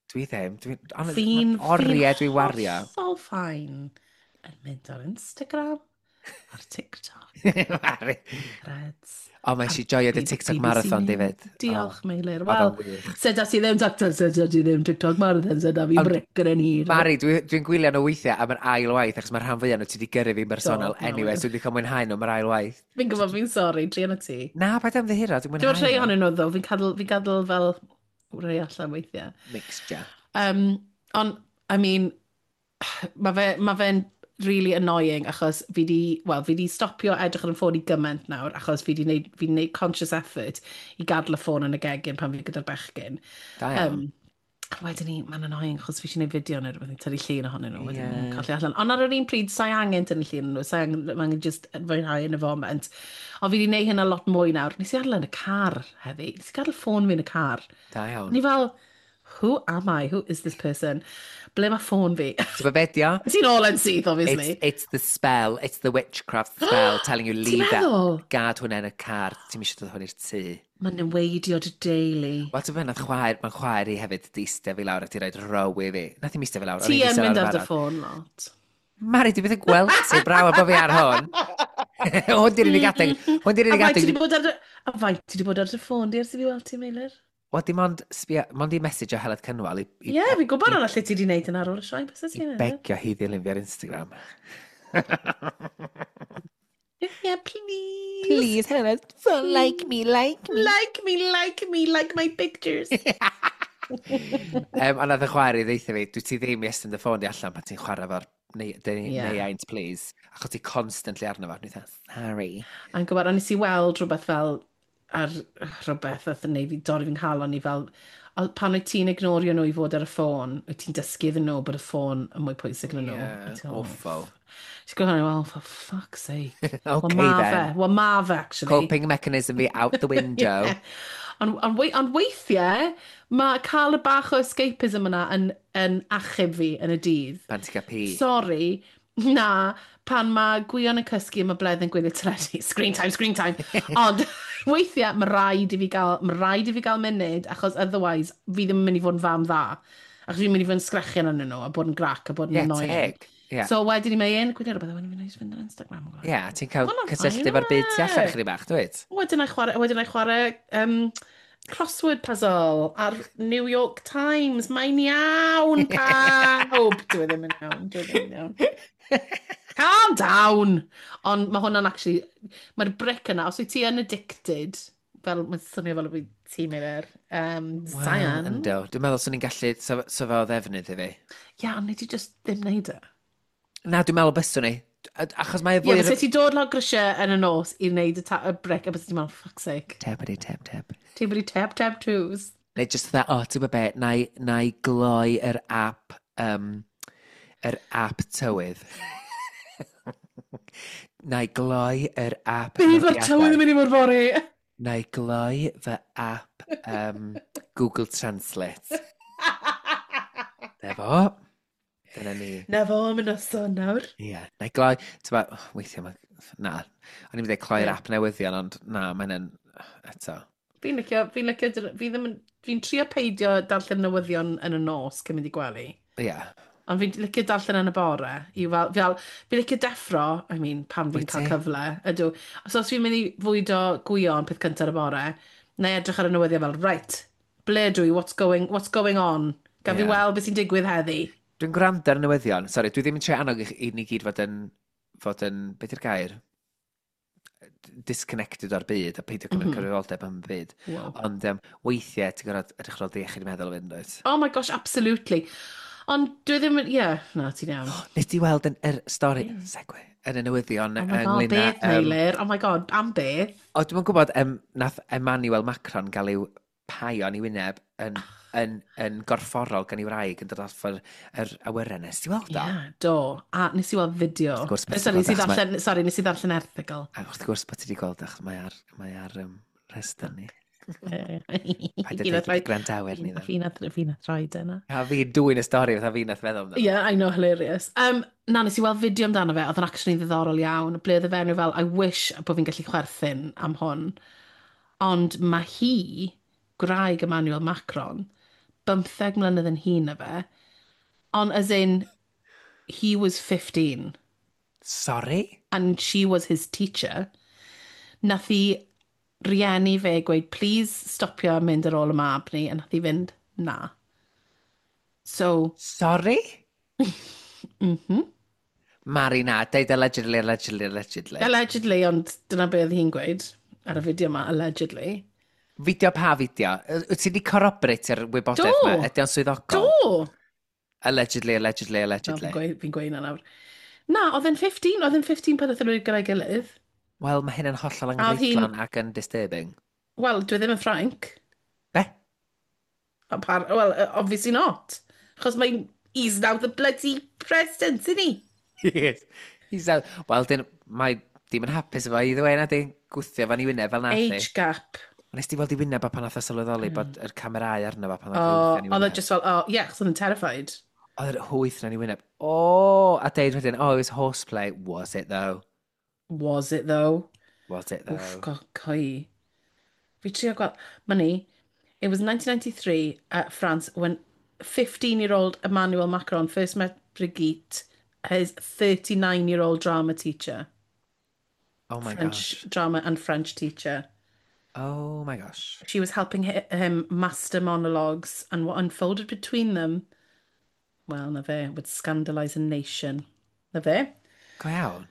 Dwi ddim. Dwi'n... Fi'n Oriau dwi'n wario. Hollol fine. Yn mynd ar Instagram. Ar TikTok. Mari. Reds. O, mae eisiau joio dy TikTok marathon, David. Diolch, Meilir. Oedd Wel, o'n wych. sut ti ddim TikTok, sut ti ddim TikTok marathon, sut fi Ond- bric yn hir. Mari, dwi gwylio nhw weithiau am yr ail waith, achos mae'r rhan fwyaf nhw ti wedi gyrru fi'n bersonol Do, no, anyway, so dwi wedi cael mwynhau nhw am yr ail waith. Fi'n gwybod, fi'n sori, druan o ti. Na, paid ymddiheuro, dwi'n Dwi'n mwynhau rhai nhw. ohonyn nhw, ddo. Fi'n gadael fel rhai allan weithiau. Mixture. Ond, I mean, ma fe'n really annoying achos fi di, well, fi di stopio edrych ar y ffôn i gymaint nawr achos fi di neud conscious effort i gadael y ffôn yn y gegin pan fi gyda'r bechgyn. Da iawn. A wedyn ni, mae'n annoying achos fi eisiau gwneud fideo neu rhywbeth, tynnu llun ohonyn nhw, wedyn yeah. Colli allan. Ond ar yr un pryd, sa'i angen tynnu llun nhw, sa'i angen, ma' angen just fwynhau yn y foment. Ond fi wedi gwneud hynna lot mwy nawr. Nes i adael yn y car heddi. Nes i gadael ffôn fi yn y car. Da iawn. Ni fel, who am I? Who is this person? Ble mae ffôn fi? Ti'n gwybod beth, dio? Ti'n all yn syth, obviously. It's the spell, it's the witchcraft spell telling you Ti'n leave that. meddwl? Gad hwnna yn y car, ti'n eisiau dod hwn i'r tŷ. Mae'n neweidio dy deulu. Wel, ti'n meddwl, nath chwaer, mae'n chwaer i hefyd di eistedd fi lawr a di roed row i fi. Nath i'm eistedd fi lawr. o'n Ti i'n yn eistedd mynd lawr ar dy yn barod. ffôn lot. Mari, di byth yn gweld ti, braw, a bod fi ar hwn. Hwn di'r unig adeg. Hwn di'r A unig faint ti adeg. 'di bod ar dy... A faint ti 'di bod ar dy ffôn di ers i fi weld ti, Meilir? Wel, dim ond, sbia, mond i message o Heledd Cynwal Ie, yeah, fi'n gwybod hwnna lle ti 'di wneud yn ar ôl y sioe. Beth i ti'n meddwl? begio hi ddilyn fi ar Instagram. Yeah, please. Please, Heledd, like me, like me. Like me, like me, like my pictures. A nath y chwaer i ddeutha fi, dwi ti ddim i estyn dy ffôn di allan pan ti'n chwarae fo'r neu, Ie. neu aint, please. Achos ti constantly arno fo. Dwi'n dweud, sorry. A'n gwybod, ond nes i weld rhywbeth fel ar rhywbeth oedd yn neud fi dorri fi'n nghalon i fel, pan wyt ti'n ignorio nhw i fod ar y ffôn, wyt ti'n dysgu iddyn nhw bod y ffôn yn mwy pwysig na nhw. Yeah, A ti'n fel, awful. Ti'n gwybod, well, for fuck's sake. Okay Wel, ma then. fe, wel, ma fe, actually. Coping mechanism fi out the window. Yeah. Ond weithiau, mae cael y bach o escapism yna yn achub fi yn y dydd. Pan ti'n cael pi. Sorry, na, pan mae Gwion yn cysgu a mae Bledd yn gwylio teledu. Screen time, screen time. Ond weithiau, mae rhaid i fi gael munud, achos otherwise, fi ddim yn mynd i fod yn fam dda. Achos fi'n mynd i fod yn sgrechian arnyn nhw, a bod yn grac, a bod yn Yeah, annoying. teg. Yeah. So wedyn ni mae un, gwylio rhywbeth, a wedyn fi'n neis fynd ar Instagram. Yeah, ti'n cael Hwnna'n cysylltu fine, efo'r byd tu allan yfe? chydig bach, dwyt? Wedyn I chwarae crossword puzzle ar New York Times. Mae'n iawn, pawb! Dwi ddim yn iawn, dwi ddim yn iawn. Calm down! Ond mae hwnna'n actually... Mae'r brick yna, os wyt ti yn addicted, fel mae'n swnio fel y byd ti'n mynd Cyan. Ynddo. Dwi'n meddwl swn i'n gallu, so fe o ddefnydd i fi. Ie, ond nei di just ddim neud e. Na, dwi'n meddwl byswn i. Achos mae Ie, fwy... yeah, ti dod lawr grisiau yn y nos i wneud y brick, a bys ti'n meddwl, fuck's sake. Tebity teb teb. Ti'n bod i teb teb twos. Neu just dda, o, ti'n gwybod be, na i gloi yr app tywydd. Na i gloi yr app Bydd mae'r tywydd yn mynd i fod fory. Na i gloi fy app Google Translate. Na fo. Dyna ni. Na fo am y noson nawr. Ie. Yeah. Na i gloi, ti'n ba, weithiau mae, na, o'n i'n mynd i cloi'r Ie. app newyddion, ond na, mae'n yn, eto. Fi'n licio, fi ddim yn, fi'n trio peidio darllen newyddion yn y nos cyn mynd i gwely. Ie. Yeah. Ond fi'n licio darllen yn y bore. I fel, fi'n licio deffro, I mean, pan fi'n Wyt cael ti? cyfle, ydw. So os fi'n mynd i fwydo Gwion peth cyntaf y bore, na i edrych ar y newyddion fel, right, ble dwi, what's going on? Gaf fi weld beth sy'n digwydd heddi. Dwi'n gwrando ar y newyddion. Sori, dwi ddim yn trio annog i ni gyd fod yn, beth yw'r gair? Disconnected o'r byd a peidio cymryd cyfrifoldeb am y byd. Wow. Ond weithiau ti'n gorfod edrych ar ôl dy iechyd meddwl fynd, dwyt? Oh my gosh, absolutely. Ond dwi ddim yn, yeah, na, ti'n iawn. Nes ti weld yn yr stori, segue, yn y newyddion Oh my god, ynglyn â... beth, Meilir? Oh my god, am beth? O, dwi'n gwybod, nath Emmanuel Macron gael i'w paio yn ei wyneb yn gorfforol gan ei wraig yn dod off yr awyren. Nes ti weld o? Yeah, do. A nes i weld fideo. Wrth gwrs, Sorry, nes i achos mae- ddarllen, sorry, nes i ddarllen erthygl. A wrth gwrs bod ti wedi gweld achos mae ar rhestr ni. Paid â Fi nath deud wrth gwrandawyr ni Fi nath rhaid yna. A fi dwyn y stori, fatha fi nath feddwl amdano. Yeah, I know, hilarious. Na, nes i weld fideo amdano fe, oedd yn actually ddiddorol iawn. Ble oedd y fenyw fel, I wish bod fi'n gallu chwerthin am hwn. Ond mae hi, gwraig Emmanuel Macron, 15 mlynedd yn hŷn na fe, ond as in, he was 15. Sorry? And she was his teacher. Nath i rieni fe gweud, please stopio mynd ar ôl y mab ni, a nath i fynd, na. So... Sorry? Mari na, deud allegedly, allegedly, allegedly. Allegedly, ond dyna be oedd hi'n gweud ar y fideo yma, allegedly. Fideo pa fideo? Wyt ti wedi corroborate-io'r wybodaeth Do. yma? Ydy o'n swyddogol? Do! Allegedly, allegedly, allegedly. No, fi'n gweud, fi gweud na nawr. Na, oedd e'n 15, oedd e'n 15 pan oedd nhw gyda'i gilydd. Wel, mae hyn yn hollol A oedd hi'n- anghyfreithlon ac yn disturbing. Wel, dwi ddim yn Ffrainc. Be? Well, obviously not. Achos mae'n... He's now the bloody president, isn't he? Yes. He's out. Wel, dyn, mae dim yn hapus efo either way, na di. Gwthio fan i wyneb fel nath i. Age gap. Nes ti weld i wyneb a pan nath o sylweddoli bod yr camerau arno fo pan nath O, o gwthio yn ei oedd e wyneb. just fel, oh, yeah, achos oedd yn terrified. Oedd yr hwyth na'n ei wyneb. O, a deud wedyn, oh, it was horseplay. Was it though? Was it though? Was it though? Oof, go, coi. Fi trio gweld... Money. It was 1993 at France when 15-year-old Emmanuel Macron first met Brigitte, his 39-year-old drama teacher. Oh my French gosh. drama and French teacher. Oh my gosh. She was helping him master monologues, and what unfolded between them, well, na fe, would scandalise a nation. Na fe? Go iawn.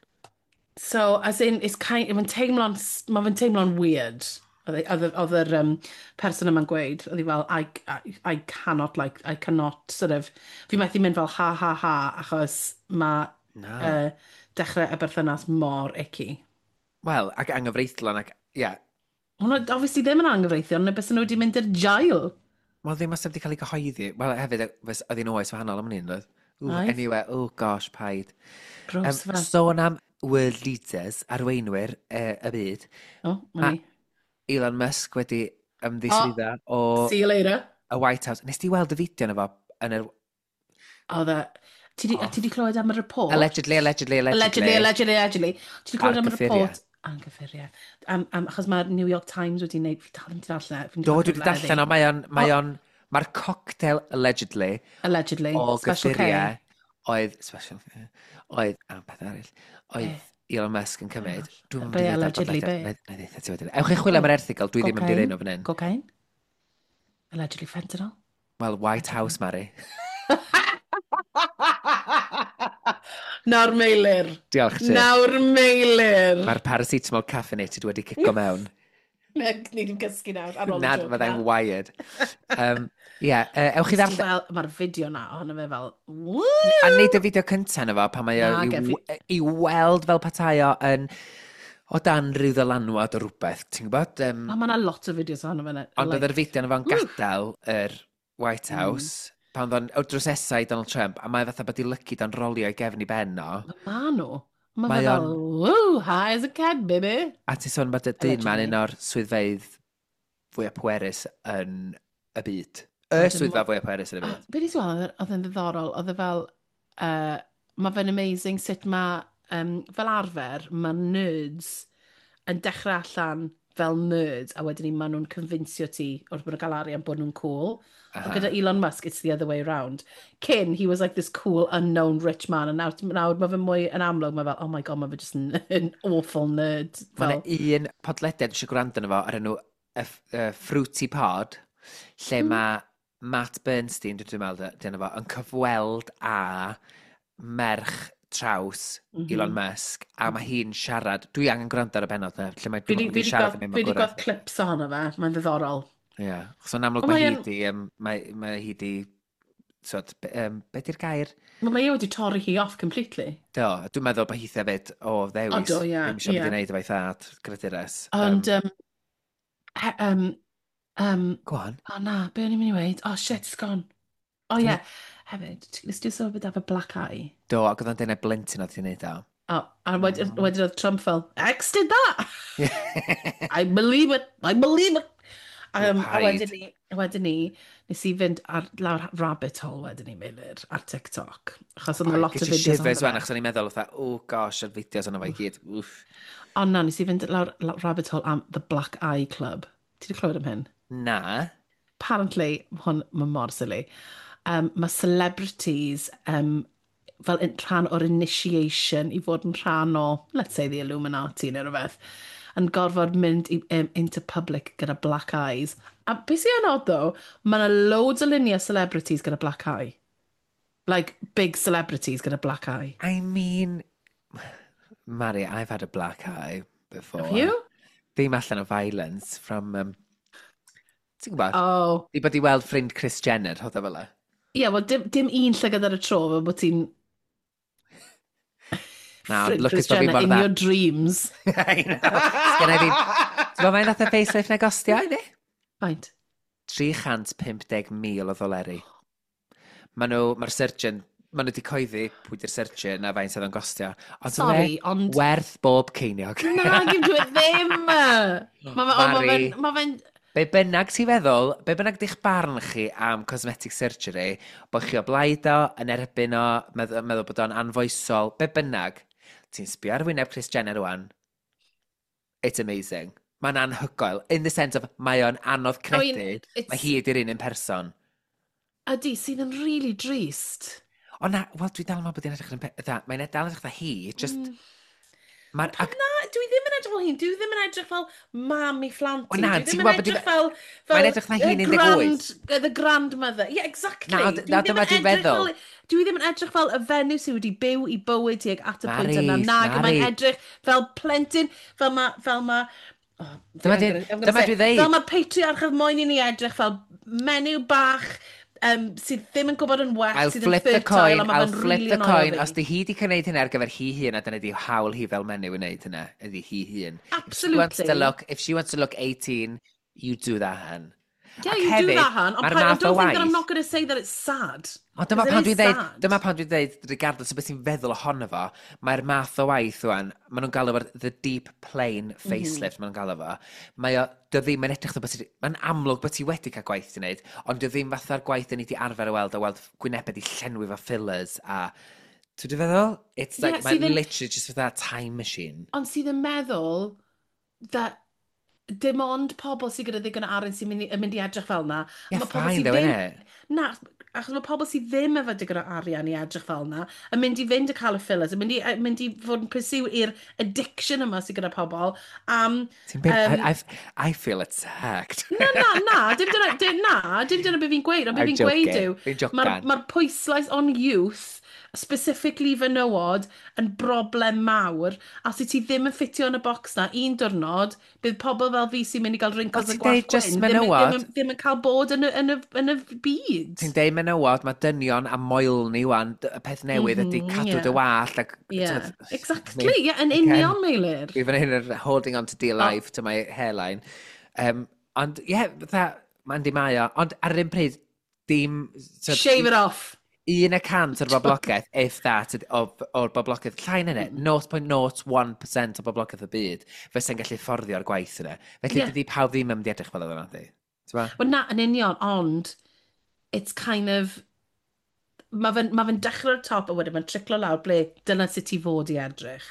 So, as in, it's kind, mae'n teimlo'n, mae fe'n teimlo'n weird. Oedd yr person yma'n gweud, oedd hi fel, I cannot, like, I cannot, sort of, fi methu mynd fel ha ha ha, achos mae Na. dechrau y berthynas mor icky. Wel, ac anghyfreithlon ac, ie. Yeah. Hwnnw, obviously ddim yn anghyfreithlon, neu bys nhw wedi mynd i'r jail. Wel, ddim os wedi cael ei gyhoeddi. Wel, hefyd, oedd hi'n oes wahanol am hynny, oedd? Ooh, Oedd. anyway, oh gosh, paid. Gross fe. Sôn am world leaders, arweinwyr y byd, O, ma ni. Elon Musk wedi ymddiswyddo o See you later. y White House. Nes ti weld y fideo yna fo yn yr... Oedd e... Ti di, ti di clywed am y report? Allegedly, allegedly, allegedly. Allegedly, allegedly, allegedly. Ti di clywed Ar am y gyffuriau. report? Ar gyffuriau. Achos mae'r New York Times wedi wneud... Fi dal ddim wedi darllen. e, Fi'n Do, dwi wedi darllen o, mae o'n... Mae o'n Mae'r cocktail, allegedly, Allegedly. o Special K. gyffuriau oedd... Special K. Oedd... A, beth arall. Oedd Elon Musk yn cymryd. Dwi'n mynd Be i ddeud ar allegedly, bodlediad. be? Na i ddeud ti wedyn. Ewch i chwilio am yr erthygl, dwi ddim yn mynd i Cocaine. ddeud nhw fan hyn. Cocaine. Allegedly fentanyl. Wel, White House, Mary. Nawr Meilir. Diolch ti. Nawr Meilir. Mae'r paracetamol caffeinated wedi cico mewn. Ni ddim cysgu nawr ar ôl y Nad joke fyddai'n na. wired. Yeah, ewch i Nes ti ddarllen. Fel, mae'r fideo na ohono fe fel, woo! A neud y fideo cyntaf na fo, pan mae o Na, i, ge- i weld fel petai o yn o dan rhyw ddylanwad o rhywbeth, ti'n gwybod? A mae yna lot o fideos ohono fe. Ond oedd yr fideo na fo'n gadael yr White House, pan oedd o'n o drws nesa i Donald Trump, a mae fatha bod i lygu dan rolio i gefn i ben o. Ma nhw. Mae Mae fe fel, woo, high as a cat, baby. A ti'n sôn bod y dyn ma'n Allegedly. un o'r swyddfeydd fwyaf pwerus yn y byd. Y Wedyn swyddfa fwyaf pwerus yn y byd. Be nes i weld, oedd e'n ddiddorol, oedd e fel, mae fe'n amazing sut mae, fel arfer, mae nerds yn dechrau allan fel nerds, a wedyn ni maen nhw'n convincio ti wrth bod nhw'n cael arian bod nhw'n cool. Ond gyda Elon Musk, it's the other way round. Cyn, he was like this cool, unknown rich man, and nawr, nawr mae fe mwy yn amlwg, mae fel, oh my god, mae fe just yn, yn awful nerd. Mae Fel, yna un podlediad eisiau gwrando arno fo ar enw y Fruity Pod, lle mae Matt Bernstein, dwi'n meddwl, dyna fo, yn cyfweld â merch traws Elon Musk, a mae hi'n siarad, dwi angen gwrando ar y bennod na, lle mae Fi dwi'n di, meddwl fi bod hi'n di siarad gweld, am fi di ei gweld clips ohono fe, mae'n ddiddorol. Ie, achos yn amlwg Ond mae mae hi yn- di, mae hi di, sort, be di'r gair? Mae mae e wedi torri hi off completely. Do, dwi'n meddwl bod hitha fyd o ddewis. O, do, ie, Ddim eisiau ie. bod i wneud efo'i thad, gredures. Ond, Go on. o na, be o'n i'n mynd i weud? Oh shit, it's gone. Oh ie, yeah. Hefyd, nes ti sôn beth efo black eye? Do, ac oedd o'n deud na blentyn oedd hi'n neud o. Oh, a wedyn wedyn oedd Trump fel, X did that! I believe it, I believe it! A Paid. wedyn ni, nes i fynd ar lawr rabbit hole wedyn ni, Meilir, ar TikTok. Achos oedd 'na lot o Ges i fideos shivers ohono wan, fe. achos o'n i'n meddwl, fatha, oh gosh, yr fideos yna fo i gyd. Wff. Ond na, nes i fynd lawr rabbit hole am The Black Eye Club. Ti wedi clywed am hyn? Na. Apparently, hwn, mae mor silly. Mae celebrities, fel rhan o'r initiation i fod yn rhan o, let's say, the Illuminati neu rhywbeth, yn gorfod mynd into public gyda black eyes. A beth sy'n odd though, mae yna loads o luniau celebrities gyda black eye. Like, big celebrities gyda black eye. I mean, Mari, I've had a black eye before. Have you? Ddim allan o violence from... ti'n gwybod? Oh. Di bod i weld ffrind Kris Jenner, rhodd o fel e. Ie, yeah, wel, dim un llygad ar y tro, fel bod ti'n... Na, Ffrind lwcus Kris bod fi Jenner mor in dda. your dreams. I know. Sgynna i ddim... Ti'n gwybod faint nath y facelift na gostio i fi? Faint? 350,000 o ddoleri. Mae'r surgeon, maen nhw wedi coeddi pwy di'r surgeon a faint oedd o'n gostio. Ond Sorry, ond... werth bob ceiniog. Na, gym dwi ddim! Mae fe, oh, ma Mari. fe'n... Ma fe'n Be bynnag ti'n feddwl, be bynnag di'ch barn chi am cosmetic surgery, bod chi o blaid o, yn erbyn o, meddwl bod o'n anfoesol, be bynnag, ti'n sbio ar wyneb Kris Jenner rwan, it's amazing. Mae'n anhygoel. In the sense of, mae o'n anodd I mean, credu, it's- mae hi ydy'r un un person. Ydy, sydd yn really drist. O na, wel, dwi dal yn meddwl bod hi'n edrych yn... Mae'n dal yn edrych fatha hi, just... Mae'r... Ac, Na, dwi ddim yn edrych fel hyn. Dwi ddim yn edrych fel mam i phlant O i. na, Dwi ti'n ddim yn gwbod bod edrych fel... fel Mae'n edrych fatha hi'n the 18. The grandmother. Yeah, exactly. Na, Dwi na, ddim dyma yn dwi'n edrych feddwl. Dwi ddim yn edrych fel y fenyw sydd wedi byw i bywyd tuag at y pwynt yna. Mari, Nag, Mari. mae'n edrych fel plentyn, fel ma... Oh, Dyma dwi ddeud. Fel mae patriarchad moyn i ni edrych fel menyw bach sydd ddim yn gwybod yn well, I'll sydd yn flip the fertile, coin, a mae I'll fe'n flip really the annoio coin. fi. Os di hi di gwneud hynna ar gyfer hi hun, a dyna di hawl hi fel menyw i wneud hynna, ydi hi hun. If she wants to Absolutely. look, if she wants to look 18, you do that, hun. Yeah, Ac you do hefyd, that, hun. Ond mae'r I math o don't think that I'm waith- not going to say that it's sad. Ond dyma 'Cause pan it dwi'n is dweud, sad. dyma pan dwi'n dweud, regardless o beth ti'n feddwl ohono fo, mae'r math o waith wan, maen nhw'n galw fo'r the deep plane facelift, maen nhw'n galw fo. Mae o, dio ddim yn edrych bod ti, mae'n amlwg bod ti wedi cael gwaith ti'n neud, ond dio ddim fatha'r gwaith yn ni di arfer o weld, o weld gwynebau di llenwi fo fillers a... Ti'n dwi'n feddwl? It's like, Yeah, mae'n sydd yn- literally just fatha time machine. Ond sydd yn meddwl that dim ond pobl sydd gyda ddigon o arian sy'n mynd i edrych fel na. Yeah, Ma' pobl fine sydd though, ddim- innit? Na, achos mae pobl sydd ddim efo digon o arian i edrych fel na, yn mynd i fynd a cael y fillers, yn mynd i fod yn pursue i'r addiction yma sydd gyda pobl. Am, Ti'n byd, I feel attacked. Na, na, na, dim dyna, dim, na, dim dyna be fi'n gweud, ond be I'm fi'n gweud joking. yw, Fi'n jocan. mae'r pwyslais on youth, specifically fenywod, yn broblem mawr, a os ti ddim yn ffitio yn y box na, un diwrnod, bydd pobl fel fi sy'n mynd i gael wrinkles Wel, a ti'n gwallt deud just gwyn, menywod? ddim yn cael bod yn y byd. Ti'n deud menywod, mae dynion a moelni wan, y peth newydd ydy cadw dy wallt. Ac, Yeah, t'mod, exactly, yeah, yn union, Meilir. Dwi fan hyn yn holding on to dear life to my hairline. Ond, ie, yeah, fatha, mae'n di mae o. Ond ar yr un pryd, dim... So, Shave it off. 1% o'r boblogaeth, if that, o'r boblogaeth, llai na hynny, 0.01% o boblogaeth y byd, fysa'n gallu fforddio'r gwaith yna. Felly, dydy pawb ddim yn mynd i edrych fel oedd yna, di. T'mo'? Wel na, yn union, ond it's kind of... Mae fe'n ma fe dechrau'r top a wedyn mae'n triclo lawr ble dyna sut ti fod i edrych.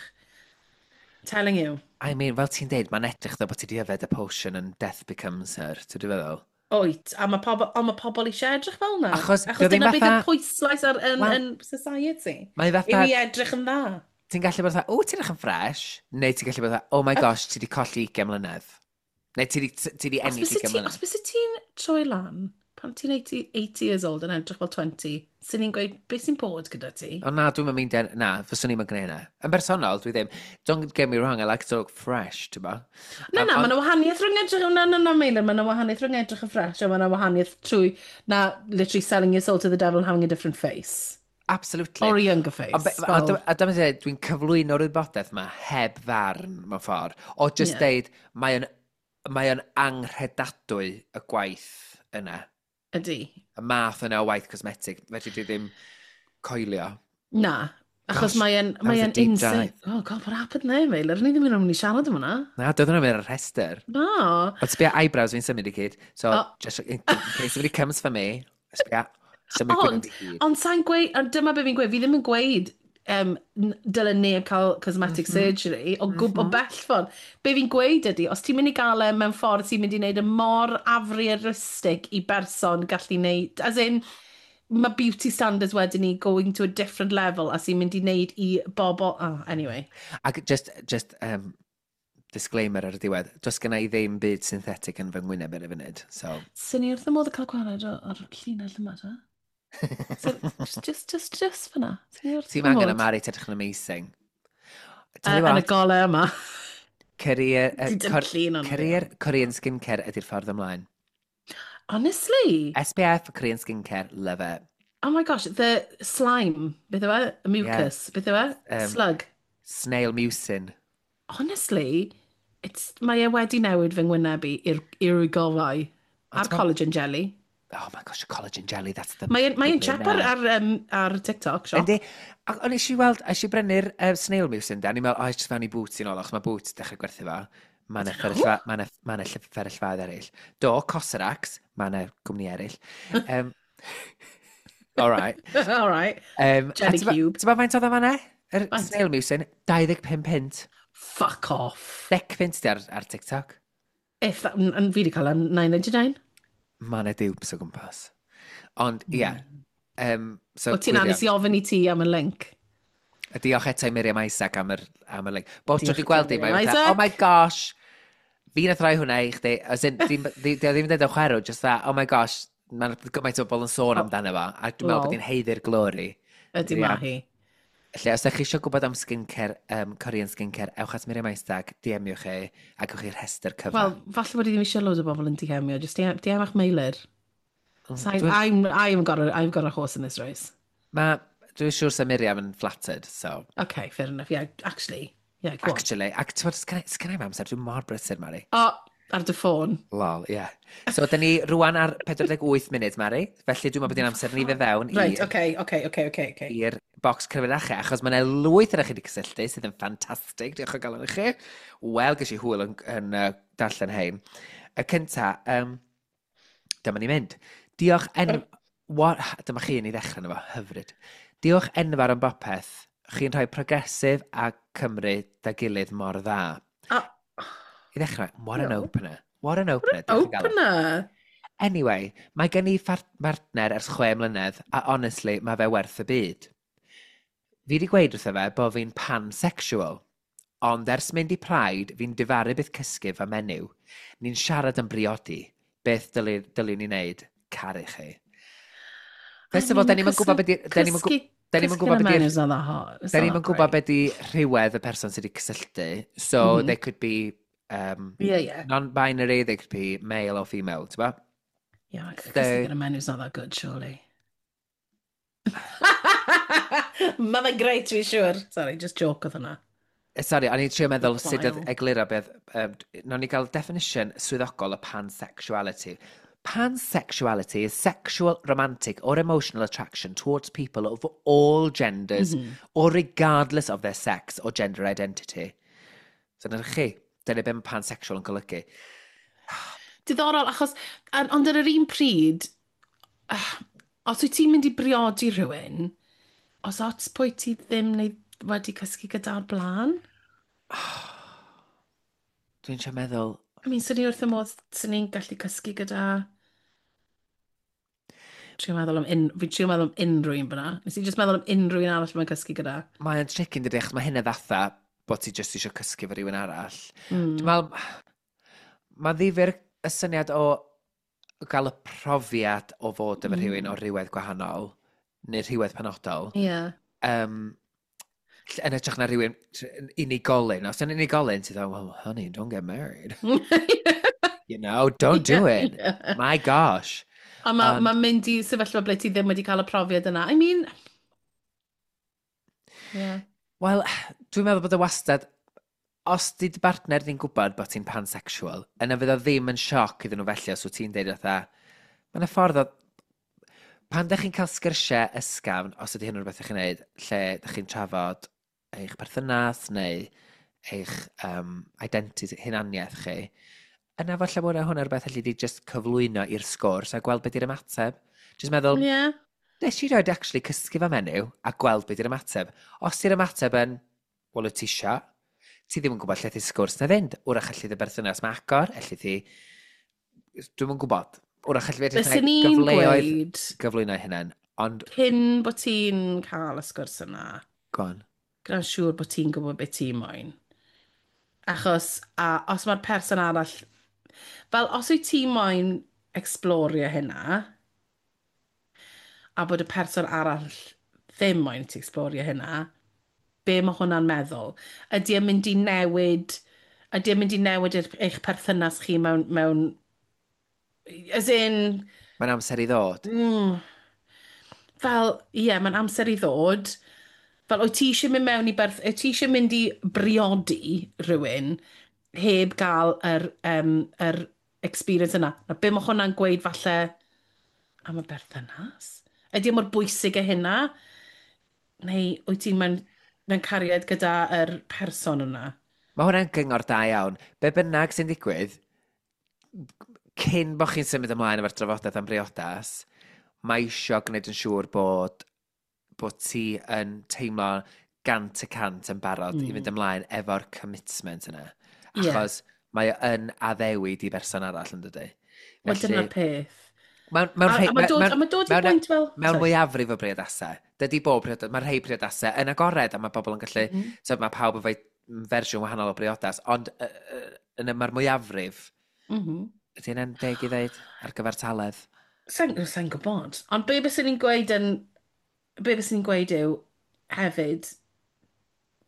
Telling you. I mean, fel ti'n deud, mae'n edrych ddo bod ti di yfed y potion and death becomes her, ti'n dwi'n feddwl? Oet, a mae pobl, ond mae pobl eisiau edrych fel yna. Achos Achos dio ddim dyna bydd y fatha- pwyslais ar, yn, Wel, yn society. Mae fatha, Yw i edrych yn dda. ti'n gallu bod fatha, o, ti'n edrych yn fresh, neu ti'n gallu bod fatha, oh my gosh, ti di colli 20 mlynedd. Neu ti di Os ennill byse 20 ti, mlynedd. os byse ti'n troi lan, pan ti'n 80, 80 years old yn edrych fel 20, sy'n ni'n gweud, beth sy'n bod gyda ti? O na, dwi'n mynd na, fyswn i'n gwneud hynna. Yn bersonol, dwi ddim. Don't get me wrong, I like to look fresh, ti'n bo? Na, na, mae yna wahaniaeth rhwng edrych, na, na, na, Meilir, mae yna wahaniaeth rhwng edrych yn fresh, a mae yna wahaniaeth trwy, na, literally selling your soul to the devil and having a different face. Absolutely. Or a younger face. Ond a dyma dweud, dwi'n cyflwyno'r wybodaeth yma heb farn mewn ffordd. O just deud, mae o'n anghredadwy y gwaith yna. Ydy. Y math yna o waith cosmetic. Felly dwi ddim coelio. Na, achos Gosh, mae o'n that was mae a o'n deep insane. dive. Oh god, what happened there, Meilir? Ni ddim yn mynd i siarad am hwnna. Na, doedd hwnna ar y rhestr. No. Ond sbia eyebrows fi'n symud i gyd. So, Oh. just in case somebody comes for me, sbia, symud Ond, gwyneb i gyd. ond sa'n gweud, ond dyma be fi'n gweud, fi ddim yn gweud dyle neb cael cosmetic surgery o gwb o bell ffordd. Be fi'n gweud ydy, os ti'n mynd i gael e mewn ffordd sy'n mynd i wneud y mor afrealistic i berson gallu wneud, as in, mae beauty standards wedyn ni going to a different level a sy'n mynd i wneud i bobl. Oh, anyway. Ac just disclaimer ar y diwedd, does gynna i ddim byd synthetic yn fy ngwyneb ar y funud, so. Sy'n ni wrth y modd y cael gwared o'r llinell yma, ta? So, just fyna. Swn i wrth Ti'n fy angen modd. y Mari, ti'n edrych yn amazing. Tell you Yn y what, golau yma. Career, Ti dim llun ond. career Korean skincare ydy'r ffordd ymlaen. Honestly. SPF, Korean skincare, love it. Oh my gosh, the slime. Beth yw e? Y mucus. Beth yw e? Slug. Snail mucin. Honestly, mae e wedi newid fy ngwyneb i i'r gorau. A'r collagen jelly. Oh my gosh, collagen jelly, that's the Mae'n the cheap ar, winner. ar TikTok shop. Yndi, ac o'n eisiau weld, eisiau brynu'r snail mucin da, ni'n meddwl, oh, just fewn i Boots i'n ôl, achos mae Boots dechrau gwerthu fo. Mae yna fferyllfa, ma' 'na fferyllfaoedd eraill. Do, Cosrx, mae yna gwmni eraill. All right. All right. Jelly cube. Ti'n faint oedd o fan'na? Yr Faint? snail mucin, 25 punt. Fuck off. 10 punt di ar TikTok. If that, and fi wedi cael yn 9.99. Mae yna dupes o gwmpas. Ond, ie. Yeah. So, O ti'n anes i ofyn i ti am y link. A diolch eto i Miriam Isaac am y link. Bob tro Diolch dwi'n gweld i hi, mae'n Miriam fatha, Isaac. "Oh my gosh, fi nath roi hwnna i chdi." As in, di o ddim yn dweud o chwerw, just that, "Oh my gosh, mae'n gymaint o bobl yn sôn amdano fo," a dwi'n meddwl bod Lol. hi'n haeddu'r glory. Ydy ma hi. Felly, os ydych chi eisiau gwybod am skincare, Korean skincare, ewch at Miriam Isaac, DM-iwch chi, a gewch chi'r rhestr cyfan. Wel, falle bod i ddim eisiau loads o bobl yn DM-io. Just DM, DM a'ch mailer. So I've got a horse in this race. Ma, dwi'n siŵr sa Miriam yn flattered, so. Okay, fair enough. Yeah, actually. Yeah, go on. Actually, ac ti'n bod, sgan i'm amser, dwi'n mor brysur, Mari. O, ar dy ffôn. Lol, ie. Yeah. So, dyn ni rwan ar 48 munud, Mari. Felly, dwi'n meddwl bod hi'n amser ni fe fewn Right, okay. i'r bocs cyfrinachau, achos mae yna lwyth yna chi wedi cysylltu, sydd yn ffantastig, diolch o galon i chi. Wel, ges i hwyl yn darllen hein. Y cynta, dyma ni'n mynd. Diolch en... What, dyma chi yn ei ddechrau yna fo, hyfryd. "Diolch enfawr am bopeth. Chi'n rhoi progresif a Cymru da gilydd mor dda." Ah. I ddechrau, what an Diolch. opener. What an opener. Diolch o galon. Opener. Anyway, mae gen i partner ers 6 mlynedd, a honestly, mae fe werth y byd. Fi wedi gweud wrtho fe bod fi'n pansexual, ond ers mynd i Pride, fi'n difaru byth cysgu fo menyw. Ni'n siarad yn briodi. Beth dylwn ni wneud? Caru chi." First of all, da ni'm yn gwybod beth da ni'm yn gwybod beth It's not that hot. It's Da not ni'm yn that gwybod great. beth di rhywedd y person sydd wedi cysylltu. So, they could be non-binary, they could be male or female, ti'n bo? Yeah, cysgu gyda menyw's not that good, surely. Mae fe'n great, dwi'n siŵr. Sorry, just joke oedd hwnna. Sorry, o'n i'n trio meddwl sut oedd Wael. egluro beth. Nawn ni gael definition swyddogol o pansexuality. Pansexuality is sexual, romantic or emotional attraction towards people of all genders or regardless of their sex or gender identity. So dyna chi. Dyna beth mae pansexual yn golygu. Diddorol, achos, ond ar yr un pryd, os wyt ti'n mynd i briodi rhywun, os ots pwy ti ddim neu wedi cysgu gyda'r blaen? Dwi'n trio meddwl. I mean, swn i wrth y modd, swn i'n gallu cysgu gyda. Fi'n trio meddwl am unrhyw un fyna. Nes i just meddwl am unrhyw un arall mae'n cysgu gyda. Mae'n tricky yn dydi, achos mae hynna fatha bod ti jyst eisiau cysgu efo rhywun arall. Dwi'n meddwl, mae'n ddifyr y syniad o gael y profiad o fod efo rhywun o rhywedd gwahanol, neu rhywedd penodol, yn hytrach na rhywun unigolyn. Os yn unigolyn, ti'n dweud, "Well, honey, don't get married. Don't do it. My gosh." A mae ma mynd i sefyllfa ble ti ddim wedi cael y profiad yna. I mean. Yeah. Wel, dwi'n meddwl bod y wastad, os di dy bartner di'n gwybod bod ti'n pansexual, yna fydd o ddim yn sioc iddyn nhw felly os wyt ti'n deud fatha, mae yna ffordd o. Pan ydych chi'n cael sgyrsiau ysgafn, os ydy hyn yn rhywbeth ydych chi'n neud, lle ydych chi'n trafod eich perthynas neu eich identity, hunaniaeth chi, yna falle bod hwnna rhywbeth allu di just cyflwyno i'r sgwrs a gweld beth di'r ymateb. Just meddwl, nes i roed actually cysgu fo menyw a gweld beth di'r ymateb. Os di'r ymateb yn, "Wel, wyt ti isio," ti ddim yn gwybod lle ti sgwrs na fynd. Wrach allu dy berthynas ma agor, allu ti. Dwi'm yn gwybod. Wrach allu fi Fyswn i'n gyfleoedd gweud gyflwyno hynny. Ond... Cyn bod ti'n cael y sgwrs yna. Go on. Gwna'n siŵr bod ti'n gwybod beth ti'n moyn. Achos, a os mae'r person arall... Fel, os wyt ti moyn explorio hynna, a bod y person arall ddim moyn ti explorio hynna, be mae hwnna'n meddwl? Ydy e'n mynd i newid... Ydy e'n mynd i newid eich perthynas chi mewn as in... Mae'n amser i ddod. Fel, ie, yeah, mae'n amser i ddod. Fel, wyt ti eisiau mynd mewn i berth... Wyt ti eisiau mynd i briodi rhywun heb gael yr experience yna? Na, be mae hwnna'n gweud falle am y berthynas? Ydy e mor bwysig â hynna? Neu wyt ti'n mewn cariad gyda yr person yna? Mae hwnna'n gyngor da iawn. Be bynnag sy'n digwydd, cyn bod chi'n symud ymlaen efo'r drafodaeth am briodas, mae isio gwneud yn siŵr bod ti yn teimlo 100% yn barod i fynd ymlaen efo'r commitment yna. Achos mae o yn addewid i berson arall, yn dydy. Wel, dyna'r peth. A mae dod i bwynt fel... Mewn mwyafrif o briodasau. Dydy bob priodas, mae rhai priodasau yn agored a mae bobl yn gallu... So mae pawb efo'i fersiwn wahanol o briodas, ond yn mae'r mwyafrif... Ydy hynna'n deg i ddeud ar gyfer taledd? Sa'n gwybod. Ond be byswn ni'n gweud yn... Be byswn ni'n gweud yw, hefyd,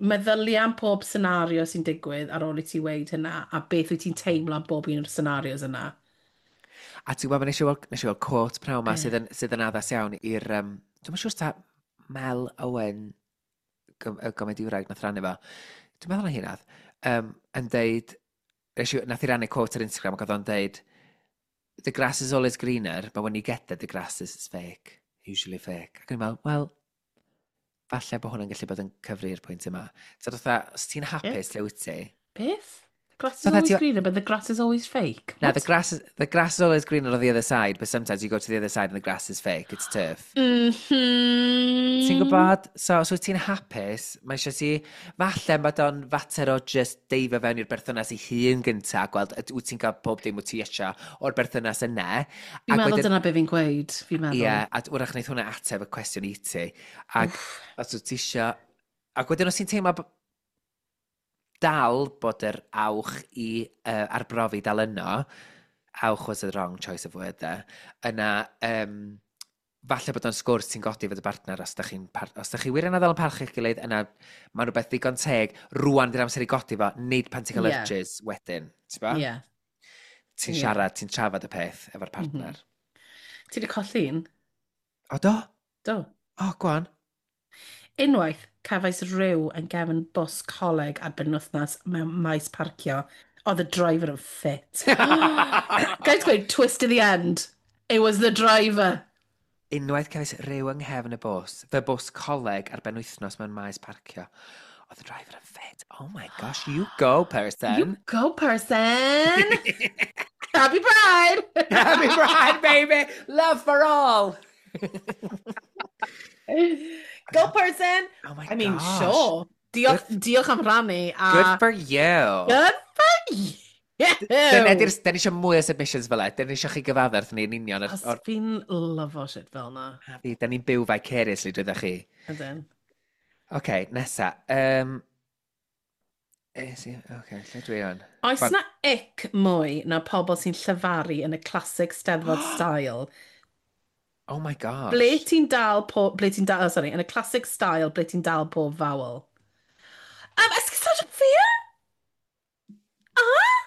meddylia am pob senario sy'n digwydd ar ôl i ti weud hynna, a beth wyt ti'n teimlo am bob un o'r scenarios yna. A ti'n gwybod, nes i weld quote pnawn ma sydd yn addas iawn i'r... Dwi'm yn siŵr ta Mel Owen, y gomediwraig nath rannu fo. Dwi'n meddwl na hi nath. Yn deud... Nath i rannu quote ar Instagram ac oedd o'n deud, the grass is always greener, but when you get there, the grass is fake. Usually fake. Ac o'n i'n meddwl, wel, falle bod hwnna'n gallu bod yn cyfri'r pwynt yma. So fatha, os ti'n hapus, lle wyt ti? Beth? The grass is always greener, but the grass is always fake. Na, the grass is always greener on the other side, but sometimes you go to the other side and the grass is fake. It's turf. Ti'n gwybod? So, os wyt ti'n hapus, mae eisiau ti... Falle bod o'n fater o just deifio fewn i'r berthynas ei hun gynta, gweld wyt ti'n cael pob dim wyt ti eisiau o'r berthynas yna. Fi'n meddwl dyna be fi'n gweud, fi'n meddwl. Ie, a wrach wneud hwnna ateb y cwestiwn i ti. Ac os wyt ti eisiau... Ac wedyn os ti'n teimlo dal bod yr awch i arbrofi dal yno, awch was the wrong choice of word there, yna... Falle bod o'n sgwrs ti'n godi fod y bartner os da chi wirioneddol yn parchu'ch gilydd, yna mae'n rhywbeth ddigon teg, rwan di'r amser i godi fo, nid pan ti'n cael urges wedyn. Ti'n bo? Ti'n siarad, ti'n trafod y peth efo'r partner. Ti wedi colli un? O, do? Do. O, go on. Unwaith, cefais rhyw yn gefn bws coleg ar benwythnos mewn maes parcio. Oedd y driver yn ffit. Guys, gweud, twist to the end. It was the driver. Unwaith cefais rhyw yng nghefn y bws, fy bws coleg ar benwythnos mewn maes parcio. Oedd y driver yn ffit. Oh my gosh, you go, person. You go, person. Happy Pride. Happy Pride, baby. Love for all. Go, person. Oh my I mean, gosh. Sure. Diolch am rannu. Good for you. Good for you. Dyna ni eisiau mwy o submissions fel e. Dyna ni eisiau chi gyfadda wrth ni'n union. Os fi'n lyfo shit fel na. A fi, da ni'n byw vicariously drwyddo chi. Ydyn. Oce, nesa. Oce, lle dwi o'n? Oes na ick mwy na pobl sy'n llyfaru yn y classic Steddfod style? Oh my gosh. Ble ti'n dal po... Ble ti'n dal... Oh, sorry, yn y classic style, ble ti'n dal pob vowel? Esgusodwch fi? Ah?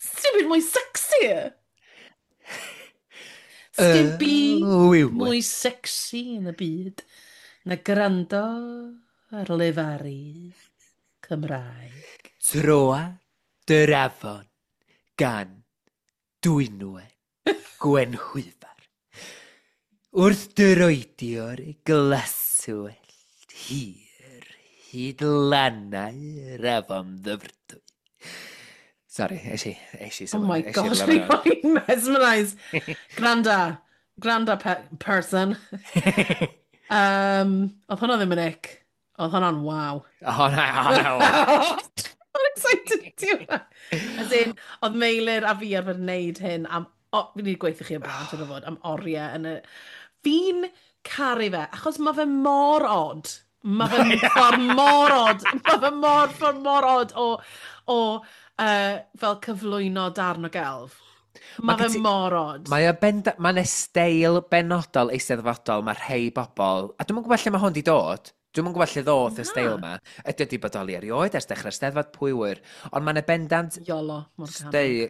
Sdim byd mwy sexy. Sdim byd mwy sexy yn y byd na gwrando ar lefaru Cymraeg. Troa dy'r afon gan Dwynwen Gwenhwyfar. Wrth droedio'r glaswellt hir hyd lannau'r afon ddyfrdwy. Sorry, es i. Oh my gosh, fi'n mesmerised. Granda person. Oedd hwnna ddim yn ick. Oedd hwnna'n wow. Oh, no. I'm excited to do that. As in, oedd Meilir a fi arfer wneud hyn am... O, fi'n wedi gweithio chi o blaen, siŵr o fod, am oriau yn y Fi'n caru fe, achos mae fe mor odd. Mae fe'n ffordd mor odd. Mae fe mor, ffordd mor odd o fel cyflwyno darn o gelf. Mae fe mor odd. Mae o benda, mae'n steil benodol eisteddfodol, mae rhai bobl, a dwi'm yn gwybod lle mae hwn di dod. Dwi'm yn gwybod lle ddoth y steil yma. Ydy o di bodoli erioed ers dechrau'r Steddfod, pwy wyr. Ond mae'n bendant Iolo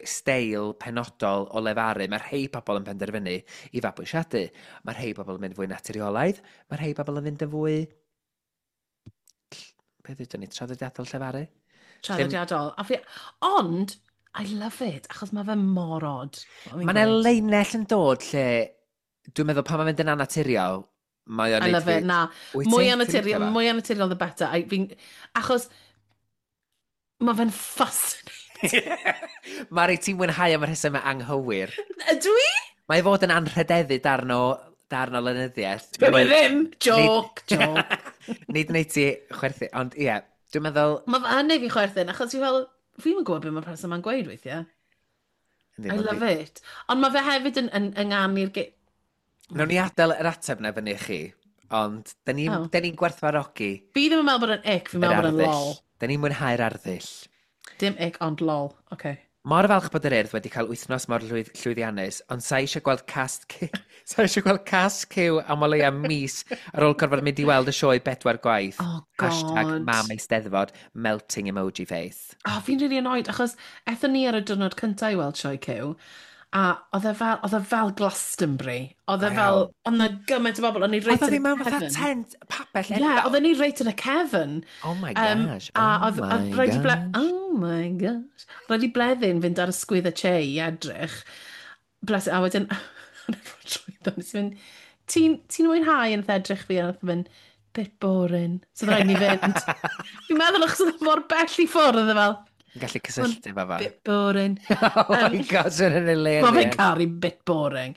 steil penodol o lefaru. Mae rhai pobl yn penderfynu i fabwysiadu. Mae rhai pobl yn mynd fwy naturiolaidd. Mae rhai pobl yn mynd yn fwy, beth ydyn ni, traddodiadol llefaru? Traddodiadol. Ond, I love it, achos mae fe mor odd. Mae yna leinell yn dod lle, dwi'n meddwl pan mae'n mynd yn anaturiol, mae o'n I love it, na. Mwy anaturiol the better. Achos mae fe'n fascinating. Mari, ti'n mwynhau am y rhesymau anghywir. Ydw i? Mae i fod yn anrhydeddu darn o lenyddiaeth. Dwi ddim! Joke, joke. Nid wneud ti chwerthu, ond ie, dwi'n meddwl. Mae fe yn neud fi chwerthin, achos fi fel, fi'n gwybod beth mae'r person ma'n gweud weithiau. I love it. Ond mae fe hefyd yn ynganu'r Nawn ni adael yr ateb na fyny i chi, ond da ni'n oh. ni gwerthfawrogi. Fi ddim yn meddwl bod yn ick, fi'n meddwl bod yn lol. Da ni'n mwynhau'r arddull. Dim ick, ond lol. Okay. Mor falch bod yr Urdd wedi cael wythnos mor llwyddiannus, ond sa eisiau gweld cast sa eisiau gweld cast Cyw am o leia mis ar ôl gorfod mynd i weld y sioe bedwar gwaith. Oh, God. #MamEisteddfod, melting emoji face. Oh, fi'n really annoyed, achos ethon ni ar y diwrnod cyntaf i weld sioe Cyw, a oedd e fel Glastonbury. Oedd e fel, oedd na gymaint o bobl, o'n i reit yn y cefn. Oedd tent, pabell. Ie, yeah, oedden ni reit yn y cefn. Oh my gosh, oh my gosh. Oh my gosh. Roedd i Bleddyn fynd ar y sgwydd y che i edrych. Bless, a wedyn, trwyddo, nes i fynd, "Ti'n mwynhau?" Yn edrych fi, a nath mynd, "Bit boring." So rhaid ni fynd. Fi'n meddwl achos oedd mor bell i ffwrdd, oedd e fel, Yn gallu cysylltu efo fo. Bit boring. Oh my gosh, yn hilarious. Mae fe'n caru bit boring.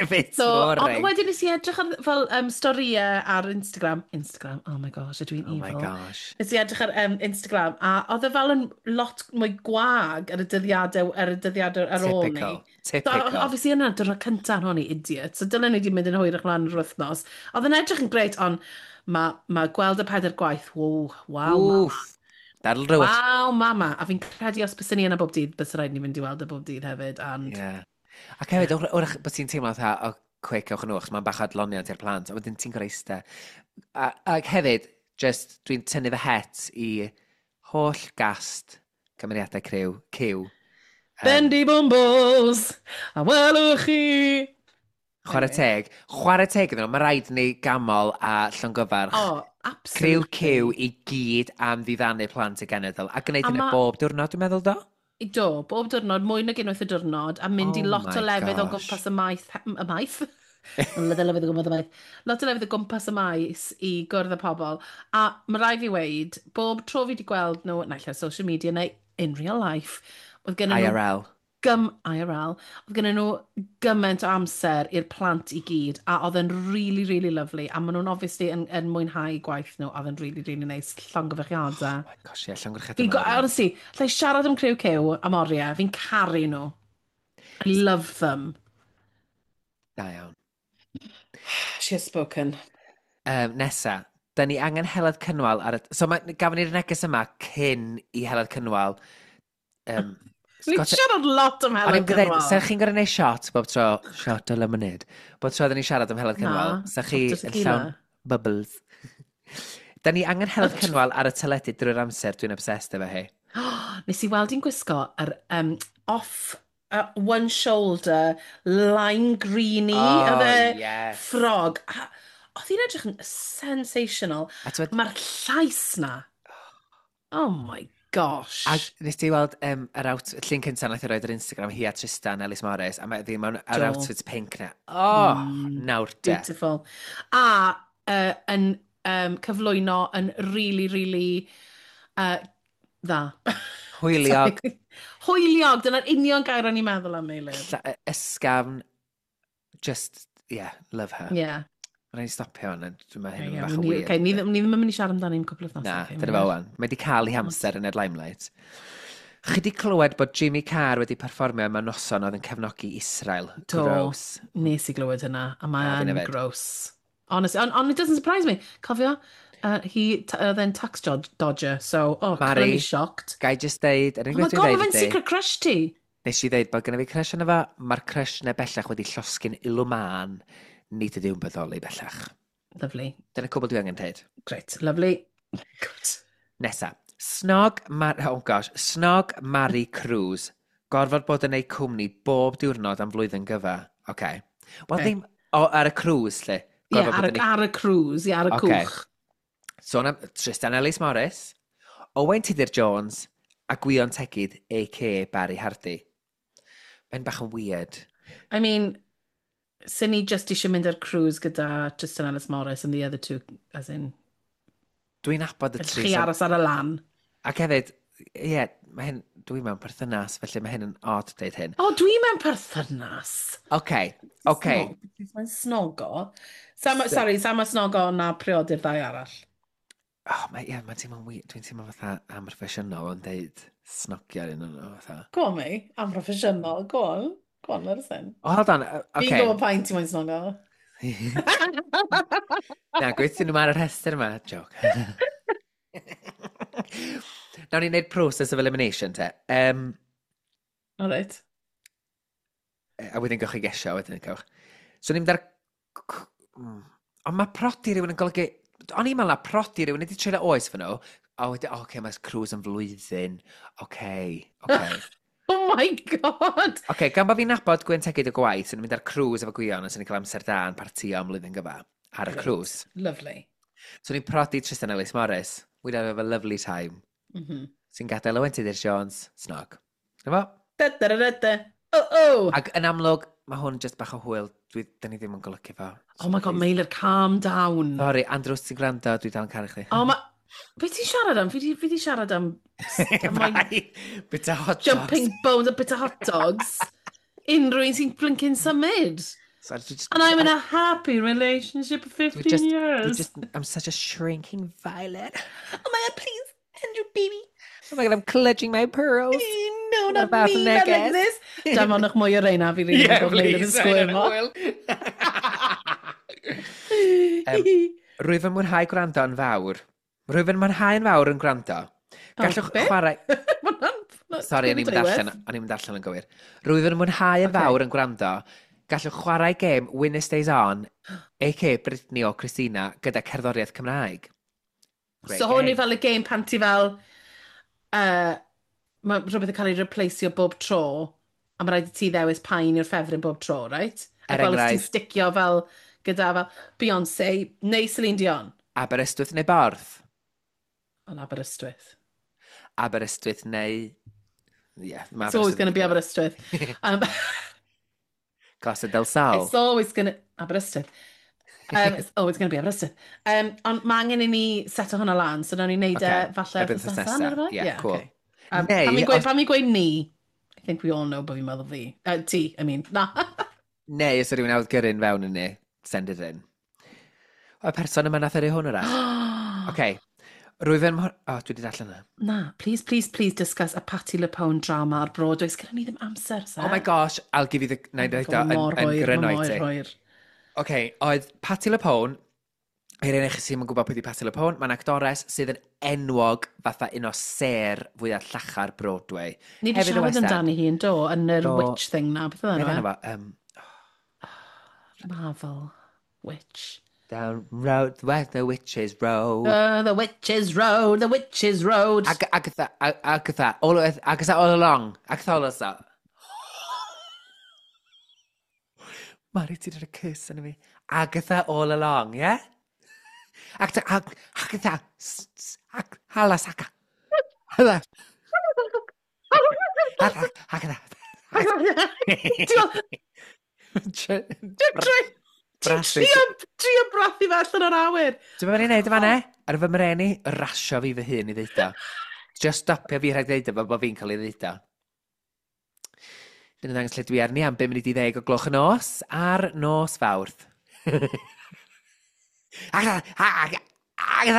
Bit so, boring. Ond wedyn nes i edrych ar fel storïau ar Instagram. Instagram, oh my gosh, ydw i'n evil. Oh my gosh. Nes i edrych ar Instagram, a oedd e fel yn lot mwy gwag ar y dyddiadau ar ôl ni. Typical. So, obviously yna, diwrnod cyntaf hwn i idiot. So dylen ni wedi mynd yn hwyrach mlaen yr wythnos. Oedd yn edrych yn greit, ond mae gweld y pedair gwaith, wow. Wff. That'll do it. Waw, mama. A fi'n credu os bys ni yna bob dydd, bys rhaid ni fynd i weld e bob dydd hefyd. And Yeah. Ac hefyd, wrach bod ti'n teimlo fatha, "O, quick, ewch yn nhw," achos mae'n bach o adloniant i'r plant, a wedyn ti'n gorau eistedd. Ac hefyd, just, dwi'n tynnu fy het i holl gast cymeriadau criw, Cyw. Bendy Bumbles, a welwch chi. Chwarae teg. Chwarae teg iddyn nhw, mae rhaid ni ganmol a llongyfarch. Oh, Criw absolutely. Cyw i gyd am ddiddanu plant y genedl. A gwneud A hynny bob diwrnod, dwi'n meddwl, do? Do, bob diwrnod, mwy nag unwaith y diwrnod, a mynd i Oh lot my o lefydd o gosh. gwmpas y maeth. Y maeth? Lot o lefydd o gwmpas y maeth. Lot o lefydd o gwmpas y maes i gwrdd â pobl. A mae rhaid fi weud, bob tro fi wedi gweld nhw, naill ar social media neu in real life, oedd gen nhw IRL. IRL, oedd gen nhw gymaint o amser i'r plant i gyd, a oedd yn really, really lovely, a maen nhw'n obviously yn mwynhau gwaith nhw, a oedd yn really, really nice. Llongyfarchiadau. Oh my gosh, ie, llongyfarchiadau Fi'n mawr. Honestly, allai siarad am criw Cyw am oriau, fi'n caru nhw. I love them. Da iawn. She has spoken. Nesa, da ni angen Heledd Cynwal ar y. So ma, gafon ni'r neges yma cyn i Heledd Cynwal. Ni'n siarad lot am O'n Heledd i'n gwneud, Cynwal. sa chi'n gorau gwneud shot bob tro, shot o lemonade, bob tro oedden ni'n siarad am Heledd Cynwal, Na, sa chi shot o yn tequila. llawn bubbles. Da ni angen Heledd Cynwal ar y teledu drwy'r amser, dwi'n obsessed efo hi. Nes i weld hi'n gwisgo yr off one shoulder, lime greeny, Oh, oedd e yes. ffrog. A oedd hi'n edrych yn sensational. A t'mod- Mae'r llais na. Oh my gosh. A nes ti weld yr out, llun cyntaf nath i roed ar Instagram, hi a Tristan Ellis Morris, a mae ddim mewn yr Do. outfit pink na. Oh, nawr de. Beautiful. A yn cyflwyno yn really, really dda. Hwyliog, Sorry. Hwyliog, dyna'r union gair o'n i'n meddwl am, Meilir. Ysgafn, just, yeah, love her. Yeah. Mae'n rhaid i stopio hwn, dwi'n meddwl hyn yn Yeah, bach o ni, weird. okay, ni ddim yn mynd i siarad amdani am cwpl o wythnosau. Na, okay, dyna fo wan. Mae di cael ei hamser yn yr limelight. Chi di clywed bod Jimmy Carr wedi perfformio mewn noson oedd yn cefnogi Israel. Do, Gross. Nes i glywed hynna, a A mae'n fi'n yfed. gross. Honestly, and it doesn't surprise me. Cofio, he, oedd e'n tax dodger, so, oh, Mari. colour me shocked. Gai just deud, yr Oh unig my beth god, dwi'n mae deud fe'n ydi, secret crush ti. nes i ddeud bod genna fi crush arno fo, mae'r crush na bellach wedi llosgi'n ilw mân, nid ydyw'n bodoli bellach. Lovely. Dyna cwbl dwi angen deud. Great. Lovely. Good. Nesa. Snog, Mar oh gosh, Snog Mary Cruz. Gorfod bod yn ei cwmni bob diwrnod am flwyddyn gyfa. Okay. Wel, Ocê. ddim... O, ar y cruise, lle. Ie, Gorfod ar, bod yn y, ei... ar y cruise, ie, ar y Ocê. cwch. Sôn am Tristan Ellis Morris, Owain Tudur Jones a Gwion Tegid, a.k.a. Barry Hardy. Mae'n bach yn weird. I mean, sy'n ni just eisiau mynd ar cruise gyda Tristan Ellis Morris and the other two, as in, Dwi'n nabod y tri. chi aros ar y lan. Ac hefyd, ie, yeah, mae hyn, dwi mewn perthynas, felly mae hyn yn odd deud hyn. O, dwi mewn perthynas. Oce, oce. Mae'n snogo. Sam, sorry, Sam a snogo na priodi'r ddau arall. Oh, mae, ie, mae'n teimlo'n weird. Dwi'n teimlo fatha amhroffesiynol yn deud snogio ar un o'n nhw, fatha. Go on, mi. Amhroffesiynol. Go on. Go on, let us in. Oh, hold on, Fi'n okay. gwybod pa'n ti moyn snogo. Na, gweithio nhw ar y rhestr yma. Joke. Nawn ni wneud process of elimination, te. All right. A wedyn gewch chi gesio, wedyn gewch. So ni'n mynd ar... Ond mae prodi rhywun yn golygu... O'n i'n meddwl na prodi rhywun wedi treulio oes fy nhw. O, wedyn, oce, okay, mae'r cruise yn flwyddyn. Oce, oce. Oh my god! Oce, gan bod fi'n nabod Gwen Tegid y gwaith, sy'n mynd ar cruise efo Gwion, a sy'n cael amser da yn partio am flwyddyn gyfa ar y Great. cruise. Lovely. So ni'n prodi Tristan Ellis Morris. We'd have a lovely time. Sy'n gadael Owen Tudur Jones, snog. Na fo? Da, da, da, da, da. Oh, oh! Ac yn amlwg, mae hwn just bach o hwyl. Dwi, dyn ni ddim yn golygu fo. Oh my god, Meilir, calm down. Sorry, Andrew, os ti'n gwrando, dwi dal yn caru chdi. Oh my... Be ti'n siarad am? Fi di siarad am... am my Bye. Bit of hot dogs. jumping bones a bit of hot dogs. Unrhyw un sy'n blinking symud. So, dwi just, And I'm in a happy relationship for 15 dwi just, years. Dwi just, I'm such a shrinking violet. Oh my god, please, Andrew, baby. Oh my god, I'm clutching my pearls. No, not About me, not like neges. this. Danfonwch mwy o reina, fi rili Yeah, yn gwybod Meilir yn please. sgwyrmo. Rwyf yn mwynhau gwrando yn fawr. Rwyf yn mwynhau yn fawr yn gwrando. Gallwch be? chwarae... Ma' hwnna'n- Sorry, o'n i'n mynd allan, o'n i'n mynd allan yn gywir. Rwyf yn mwynhau yn Ocê. fawr yn gwrando. Gallwch chwarae gêm Winner Stays On, a.k.a. Britney o Christina, gyda cerddoriaeth Cymraeg. Great So hwn game. yw fel y game pan ti fel... Mae rhywbeth yn cael ei replaceio bob tro, a mae rhaid i ti ddewis paun yw'r ffefryn bob tro, right? Er Ac fel os ti'n enghraifft- sticio fel gyda fel Beyoncé neu Celine Dion. Aberystwyth neu Borth? Ond Aberystwyth. Aberystwyth neu... Yeah, mae It's always going to be Aberystwyth. Costa del Sol. It's always going to... Aberystwyth. It's always going to be Aberystwyth. Ond mae angen i ni seto hwnna lan, so nawn ni wneud e Ocê, falle erbyn wythnos wythnos nesa, nesa. neu rywbeth? Yeah, cool. Okay. Neu, Pan mi'n gweud, os- pan mi'n gweud ni, I think we all know bod fi'n meddwl fi. Ti, I mean, na. Neu, os yw rhywun awd gyrru'n fewn yn ni, send it in. O, y person yma nath yrru hwn wrach. Oce. Rwyf yn... O, oh, dwi wedi darllen yna. Na, please, please, please discuss a Patti LuPone drama ar Broadway. Sgynnon ni ddim amser, sa. Oh my gosh, I'll give you the... Na i ddeud o yn, Mor yn hwyr, gryno i mor ti. hwyr. Oce, oedd Patti LuPone, i'r un chi sy'n gwybod pwy di Patti LuPone, mae'n actores sydd yn enwog fatha un o ser fwyaf llachar Broadway. Ni wedi Hefyd y siarad West End. amdani hi yn do, yn yr Do. witch thing na, beth oedd Beth enw enw e? fo? Marvel. Witch. Down road where the witches road. The Witch's Road, the Witch's Road. Agatha, Agatha, all, Agatha all along. Agatha all along. Mari, ti wedi rhoi curse yn fi. Agatha all along, yeah? Agatha, Agatha, hala saka. Hala. Agatha, Agatha. Ti'n Brathu. trio brathu fe allan o'r awyr. Ti'n meddwl ni'n neud yma ne? Ar fy mreni, rasio fi fy hun i ddeud o. Just stopio fi rhag ddeud o fel bod fi'n cael ei ddeud o. Dyna ddangos lle dwi arni am 9:50 o gloch y nos ar nos Fawrth. Oedd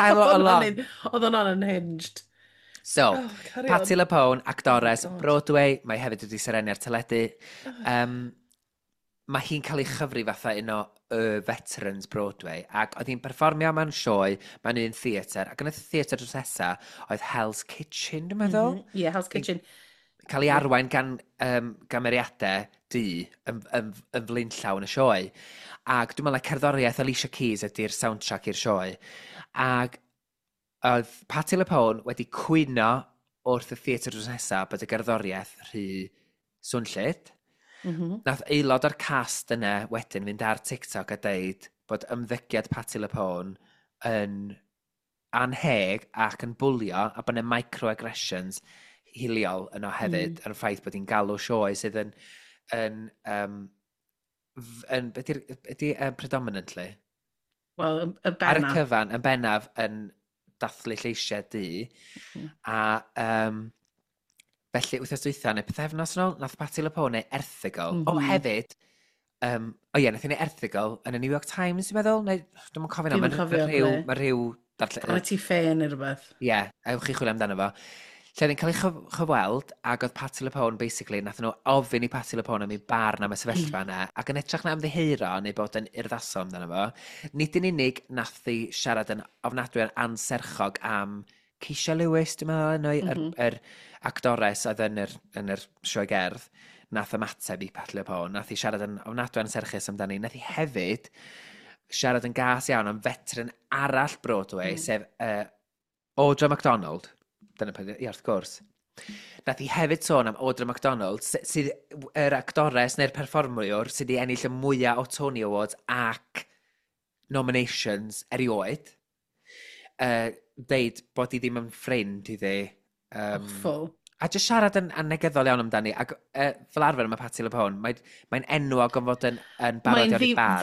Oedd hwnna'n unhinged. So, Oh, carry on. Patti LuPone, actores Oh my God. Broadway, mae hefyd wedi serennu ar teledu. Mae hi'n cael ei chyfri fatha un o y veterans Broadway, ac oedd hi'n perfformio mewn sioe mewn un theatr, ac yn y theatr drws nesa oedd Hell's Kitchen, dwi'n meddwl. Yeah, Hell's Kitchen. Cael ei arwain gan gymeriadau du yn flaenllaw yn y sioe. Ac dwi'n meddwl na cerddoriaeth Alicia Keys ydy'r soundtrack i'r sioe. Ac oedd Patti LuPone wedi cwyno wrth y theatr drws nesaf bod y gerddoriaeth rhy swnllyd. Nath aelod o'r cast yna wedyn fynd ar TikTok a deud bod ymddygiad Patti LuPone yn anheg ac yn bwlio a bod yna microaggressions hiliol yno hefyd, yn y ffaith bod hi'n galw sioe sydd yn beth ydi predominantly? Wel, y Ar y bennaf. Cyfan, yn bennaf yn dathlu lleisiau du. A felly, wythnos dwytha, neu pythefnos yn ôl, nath Patti LuPone neu erthygl. O, hefyd, o ie, nath hi neud erthygl yn y New York Times, dwi'n meddwl, neu dwi'm yn cofio nawr, Dwi'm yn mae cofio rhyw, ble. mae rhyw darllen. Vanity Fair neu rhywbeth. Ie, yeah, ewch chi chwilio amdano fo. Lle oedd hi'n cael ei chyfweld, ac oedd Patti LuPone, basically, nath nhw ofyn i Patti LuPone am ei barn am y sefyllfa yna, ac yn edrych na ymddiheuro neu bod yn urddasol amdano fo, nid yn unig nath hi siarad yn ofnadwy yn anserchog am Keisha Lewis, dwi'n meddwl, enw hi, yr actores oedd yn yr sioe gerdd, nath ymateb i Patti LuPone, nath hi siarad yn ofnadwy anserchus amdani, nath hi hefyd siarad yn gas iawn am veteran arall Broadway, sef Audra McDonald. Dyna peth, ie, wrth gwrs. Nath hi hefyd sôn am Audra McDonald, sydd yr actores neu'r perfformiwr sydd wedi ennill y mwyaf o Tony Awards ac nominations erioed. Deud bod hi ddim yn ffrind iddi. Awful. A jyst siarad yn negyddol iawn amdani. Ac fel arfer mae Patti LuPone, mae'n enwog am fod yn barod Mae'n iawn i barn.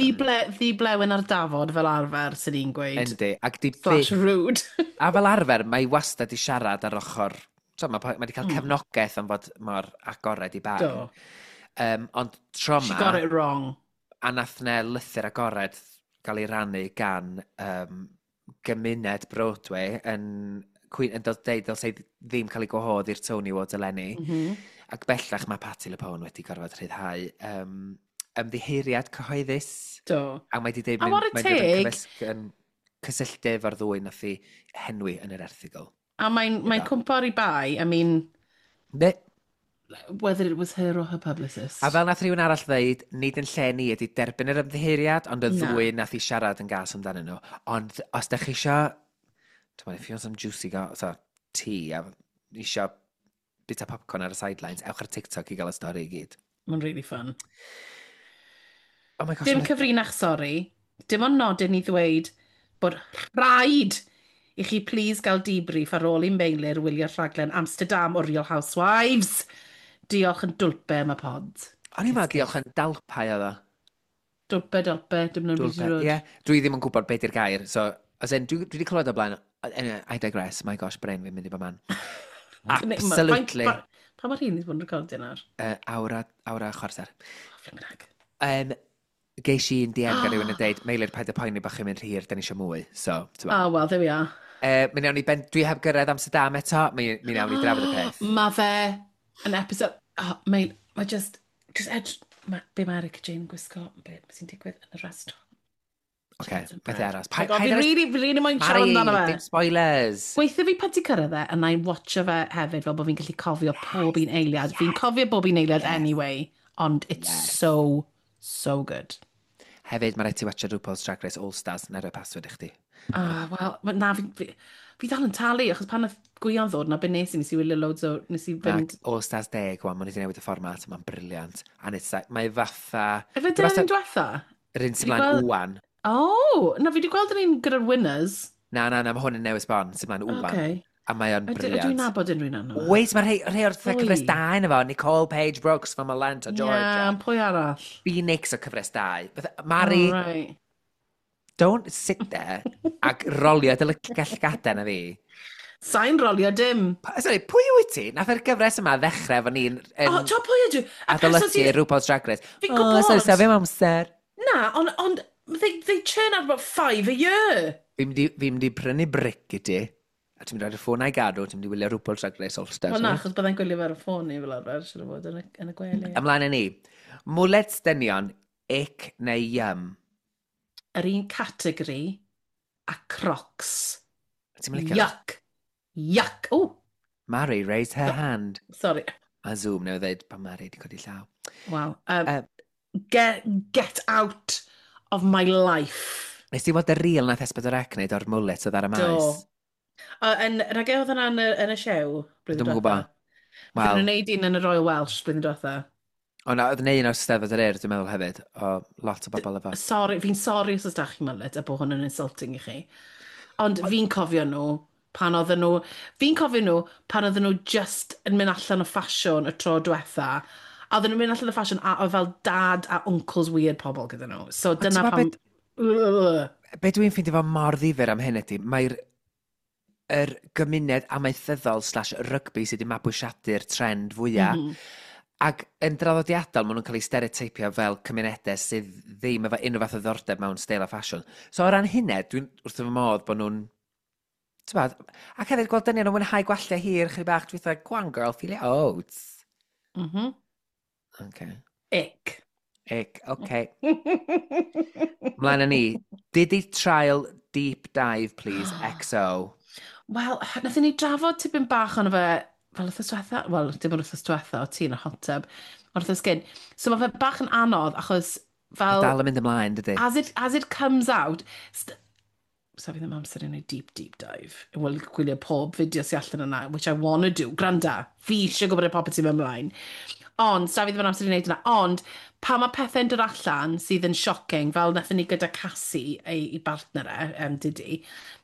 ddi-blewyn ar dafod fel arfer, sy'n ni'n gweud. Yndi. Ac di Slash rude. A fel arfer, mae wastad i siarad ar ochr. So, mae wedi cael cefnogaeth am fod mor agored i barn. Do. Ond tro She ma, got it wrong. a nath ne lythyr agored gael ei rannu gan gymuned Broadway yn dod deud dylse hi ddim cael ei gwahodd i'r Tony Awards eleni. Ac bellach mae Patti LuPone wedi gorfod rhyddhau ymddiheuriad cyhoeddus. Do. A mae wedi deud A whare mae'n dod yn teg. yn cysylltu efo'r ddwy nath i henwi yn yr erthygl. A mae'n cwmpo ar ei bai, I mean, Ne. whether it was her or her publicist. A fel nath rhywun arall ddeud, nid yn lle ni ydy derbyn yr ymddiheuriad, ond y Na. ddwy nath i siarad yn gas amdanyn nhw. Ond os da chi isio, dwi'n meddwl, if you want some juicy so, tea, a isio bita popcorn ar y sidelines, ewch ar TikTok i gael y stori i gyd. Mae'n really fun. Oh my gosh. Dim cyfrinach, sori. Dim ond nodyn i ddweud bod rhaid i chi please gael debrief ar ôl i Meilir wylio'r rhaglen Amsterdam o Real Housewives. Diolch yn dwlpe am y pod. O'n i'n meddwl diolch yn dalpau oedd o. Dwlpe, dwlpe, dim yn Dwlpe, rhywbeth. ie. Dwi ddim yn gwybod beth yw'r gair, so, as in, dwi wedi clywed o blaen, anyway, I digress, my gosh, brain fi'n mynd i bob man. Absolutely. Pa mor hyn i bod yn recordio nawr? Awr a chwarter. Oh, flipping heck. Geis i un DM gan rhywun yn deud, "Meilir, paid â poeni bod chi'n mynd rhy hir, da ni eisiau mwy." So, ti'n Oh, well, there we are. Mi nawn ni ben, dwi heb gyrraedd Amsterdam eto, mi nawn ni drafod y peth. Mae fe yn episode. Oh, mae just edge. Ma, be mae Erika Jane gwisgo, be sy'n digwydd yn y restaurant. Oce, beth aros. My God, fi really moyn siarad Mari, amdano fe. dim spoilers. Gweithio fi pan ti'n cyrraedd e, a na i'n watcho fe hefyd, fel bod fi'n gallu cofio pob un eiliad. Fi'n cofio bob un eiliad anyway, ond it's so, so good. Hefyd, mae rhaid ti watcha RuPaul's Drag Race All Stars, na rhoi password i chdi. Ah, wel, na, fi dal yn talu, achos pan nath Gwion ddod, na be nes i, nes i wylio loads o, nes i fynd. Ac All Stars 10, wan, maen nhw wedi newid y fformat, mae'n brilliant. And it's like, mae fatha Efe dyna'r un diwetha? Yr un sy'n Fi mlaen wan. Oh, na, fi wedi gweld yr un gyda'r winners. Na, na, na, mae hwn yn newydd sbon, sy'n mlaen wan. Okay. A mae o'n Ydw brilliant. Ydw i'n nabod unrhyw un arno? Wait, mae rhai o'r Pwy? cyfres 2 yna fo. Nicole Paige Brooks from Atlanta, Georgia. Yeah, pwy arall? Phoenix o cyfres 2. Fatha, Mari, Oh, right. don't sit there ac rolio dy llygada na fi. Sa'n rolio dim. Sorry, pwy wyt ti? Nath yr gyfres yma ddechrau efo ni'n yn O, ti'n pwy ydw? Y person adolygu sydd RuPaul's Drag Race. Fi'n Oh, gwybod. sorry, sa fi amser. Na, ond they churn out about 5 a year. Fi'n mynd i prynu bric i ti. A ti'n mynd ar y ffôn a'i gadw, ti'n mynd i wylio RuPaul Drag Race All Stars. Wel na, achos byddai'n gwylio fe ar y ffôn i fel arfer, siŵr o fod, yn y gwely. Ymlaen â ni. Mullets dynion, ick neu yum? Yr un categori a Crocs. Ti'n mynd licio? Yuck. Yuck. O! Mary raised her hand. Sorry. A Zoom newydd dweud pan Mary wedi codi llaw. Wow. Get out of my life. Nes ti weld y reel nath S4C wneud o'r mullet oedd ar y maes? Do. A yn, rhaid oedd hwnna yn y sioe blwyddyn Dwi'm yn gwybod. Wel. Wel, nhw'n neud un yn y Royal Welsh blwyddyn diwetha. O na, oedd yna un o'r Steddfod yr Urdd, dwi'n meddwl hefyd, o lot o bobl efo. Sorry, fi'n sorry os oes da chi mullet a bod hwn yn insulting i chi. Ond fi'n cofio nhw pan oedden nhw... Fi'n cofio nhw pan oedden nhw just yn mynd allan o ffasiwn y tro diwetha. A oedden nhw'n mynd allan o ffasiwn a oedd fel dad a uncles weird pobl gyda nhw. So dyna ti'n pam. Ugh. Be dwi'n ffeindio fo mor ddifyr am hyn ydy, mae'r yr gymuned amaethyddol/rygbi sydd wedi mabwysiadu'r trend fwyaf. Ac yn draddodiadol, maen nhw'n cael eu stereoteipio fel cymunedau sydd ddim efo unrhyw fath o ddiddordeb mewn steil a ffasiwn. So o ran hynny, dwi'n wrth fy modd bod nhw'n... T'bod, ac hefyd gweld dynion yn mwynhau gwalltiau hir, chydig bach, dwi'n fatha, go on girl, feel your oats. Okay. Ick. Ick, okay. Mlaen â ni. Diddy Trial Deep Dive, please, XO. Wel, nathon ni drafod tipyn bach ono fe fel wythnos diwetha. Wel, dim ond wythnos diwetha, o ti yn y hot tub. Ond wythnos gyn. So mae fe bach yn anodd achos fel Dal yn mynd ymlaen, dydy? As it comes out, so fi ddim amser i wneud deep, deep dive. Wel, gwylio pob fideo sy'n allan yna, which I wanna do. Granda, fi eisiau gwybod y popeth sy'n mynd ymlaen. Ond, sa fi ddim yn amser i wneud yna. Ond, pan mae pethau'n dod allan sydd yn shocking, fel wnaethon ni gyda Cassie, ei bartner e, Diddy,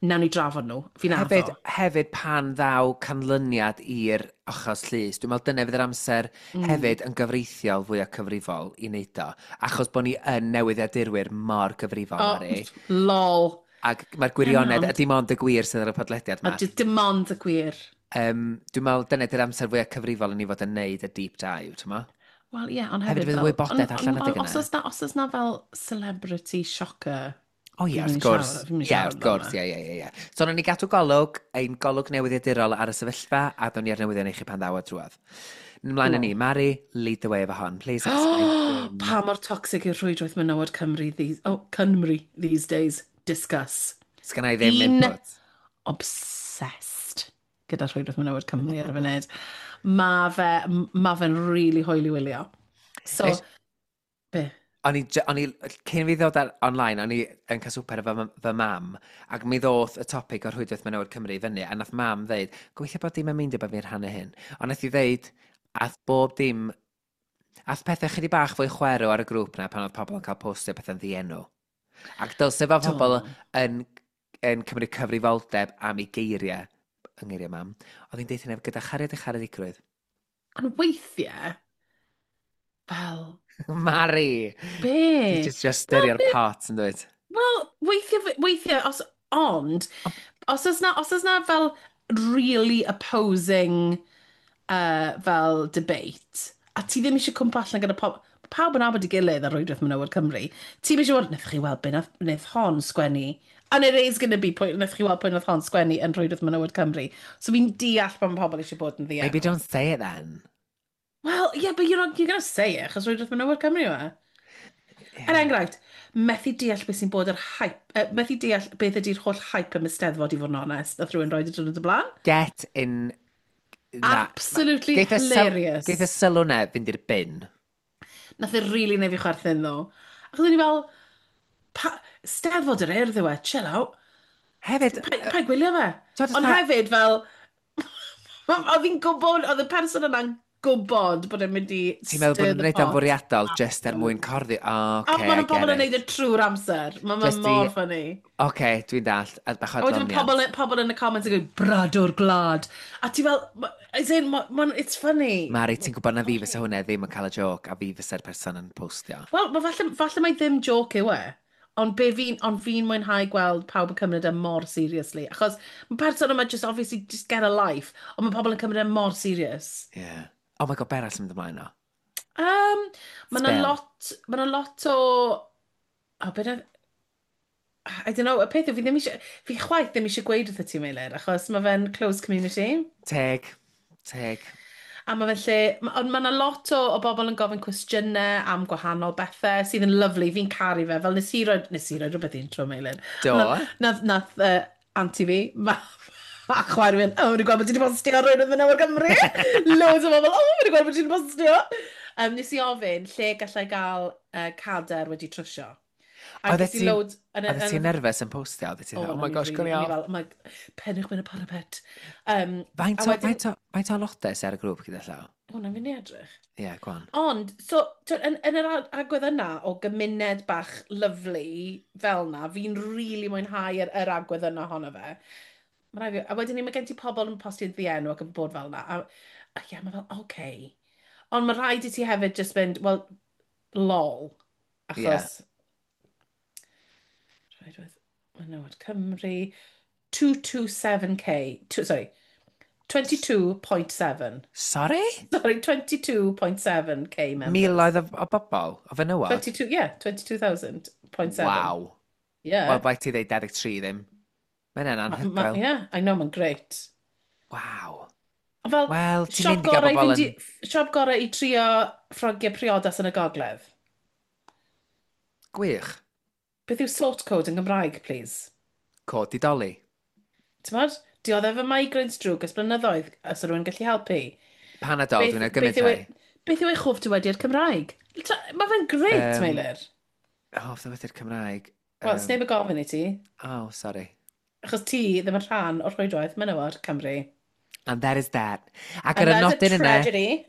nawn ni drafod nhw. Fi'n addo. Hefyd pan ddaw canlyniad i'r achos llys, dwi'n meddwl dyna fydd yr amser hefyd yn gyfreithiol fwyaf cyfrifol i wneud o. Achos bod ni yn newyddiadurwyr mor gyfrifol, Oh, Mari. lol. Ac mae'r gwirionedd, Ie, a dim ond y gwir sydd ar y podlediad A yma. dim ond y gwir. Dwi'n meddwl dyna ydy'r amser fwyaf cyfrifol i ni fod yn neud y deep dive, ti'n meddwl? Wel, ie, ond Hefyd hefyd fydd y fel wybodaeth allan adeg Os yna. oes na fel celebrity shocker. O ie, Fi'n wrth mynd i gwrs. fi'n mynd i Ie, siarad wrth gwrs, amdano. ie. So, nawn ni gadw golwg, ein golwg newyddiadurol ar y sefyllfa, a ddown ni ar newyddion i chi pan ddaw o drwodd. Ymlaen â ni, Mari, lead the way efo hon. Please explain. Pa mor toxic yw'r rhwydwaith menywod Cymru these, oh, Cymru these days? Discuss. Sgynna i ddim Fi'n input. obsessed gyda rhwydwaith menywod Cymru ar y funud. Ma fe'n really hwyl i wylio. So, be? O'n i, cyn fi ddod ar online, o'n i yn cael swper efo fy mam, ac mi ddoth y topic o'r rhwydwaith menywod Cymru i fyny, a nath mam ddeud, gobeithio bod dim yn meindio bod fi'n rhannu hyn. Ond nath i ddeud, ath bob dim, ath pethau chydig bach fwy chwerw ar y grŵp na pan oedd pobl yn cael postio pethau'n ddienw. Ac dylse fo pobl yn cymryd cyfrifoldeb am ei geiriau, yng ngeiriau mam, oedd hi'n deud hynny gyda chariad a charedigrwydd. Ond weithiau, fel, Mari! be? Ti just styrio'r pot yn dweud. Wel, weithiau, ond, os oes na fel really opposing fel debate, a ti ddim eisiau cwmpa allan gyda pawb yn nabod ei gilydd ar rwydwaith menywod Cymru, ti'n eisiau bod, wnaethoch chi weld be wnaeth hon sgwennu, and it is going to be pwy, wnaethoch chi weld pwy wnaeth hon sgwennu yn rhwydwaith menywod Cymru. So fi'n deall pan mae pobl eisiau bod yn ddienw. Maybe don't say it then. Well, yeah, but you're, not, you're going to say it, achos rhwydwaith menywod Cymru yw e. Er enghraifft, methu deall beth sy'n bod yr hype, methu deall beth ydy'r holl hype am y Steddfod i fod yn onest, nath rhywun roi y diwrnod y blaen. Get in... Na. Absolutely hilarious. Geith y sylw na fynd i'r bin. Nath e really neud fi chwerthin ddo. Achos o'n i fel, Steddfod yr Urdd yw e, chill out. Hefyd, Pa gwylio fe? T'wod, Ond hefyd fel, oedd hi'n gwybod, oedd y person yna'n gwybod bod e'n mynd i Ti'n meddwl bod stir nhw'n the gwneud o'n pot. fwriadol just er mwyn corddi? O, A oce, maen I nhw pobl get yn neud it. e trwy'r amser. Mae'n ma mor funny. Oce, dwi'n dallt. A bach o A wedyn adloniant. pobl yn y comments yn gweud, "Bradwr gwlad." A ti fel, as in, it's funny. Mari, ti'n gwybod na fi fysa hwnna ddim yn cael y joc a fi fysa'r person yn postio. Wel, ma falle mai ddim joke yw e. Ond fi'n mwynhau gweld pawb yn cymryd e mor seriously. Achos mae person yma just obviously just get a life. Ond mae pobl yn cymryd e mor serious. Yeah. Oh my God, be arall sy'n mynd ymlaen o? Mae yna Spell. lot, ma' 'na lot o... O, beth I don't know, y peth yw, fi ddim eisiau, fi chwaith ddim eisiau gweud wrth ti, Meilir, achos mae fe'n closed community. Teg, teg. A mae fe'n lle, ond mae yna lot o bobl yn gofyn cwestiynau am gwahanol bethau sydd yn lyfli, fi'n caru fe, fel nes i roi rhywbeth intro, Meilir. Do. Nath auntie fi, a chwaer fi'n, "Oh, wedi gweld bod ti wedi postio ar rhywun yn Menywod Cymru." Loads o bobl, "Oh, wedi gweld bod ti wedi postio." Nes i ofyn lle gallai gael cadair wedi trwsio. A ges i loads. Oeddet ti'n nerfus yn postio? Oeddet ti'n, "Oh my gosh, gwni off." Fel, "Oh, pennwch mewn y parapet." Faint o aelodau sydd ar y grŵp gyda llaw? Hwna fi'n edrych. Ie, yeah, go on. Ond, so, yn yr agwedd yna o gymuned bach lyfli fel na, fi'n rili really mwynhau yr agwedd yna ohono fe. Ma' raid fi, a wedyn ni, mae gen ti pobl yn postio'n ddienw ac yn bod fel na. A ie, mae fel, oce. Okay. Ond mae rhaid i ti hefyd just mynd, "Well, lol." Achos, yeah. Rhaid with Menywod Cymru, 227k, two, sorry, 22.7. Sorry? Sorry, 22.7K members. Miloedd o bobl? O fenywod? 22, yeah, 22,000.7. Waw. Yeah. Wel, bai ti ddeud 23 ddim. Mae'n anhygoel. Yeah, I know, mae'n great. Waw. Fel, Wel, ti'n mynd i gael bobl yn Siop gorau i trio ffrogiau priodas yn y gogledd. Gwych. Beth yw sort code yn Gymraeg, please? Cod didoli. Ti'n? Dioddef y migraines drwg ers blynyddoedd, os rhywun gallu helpu. Panadol, dwi'n gymryd rhai. Beth yw eich hoff dywediad Cymraeg? Mae fe'n great, Meilir. Hoff dywediad Cymraeg? Wel, sneb yn gofyn i ti. Oh, sorry. Achos ti ddim yn rhan o'r rhwydwaith menywod Cymru. And that is that. Ac ar y nodyn yna,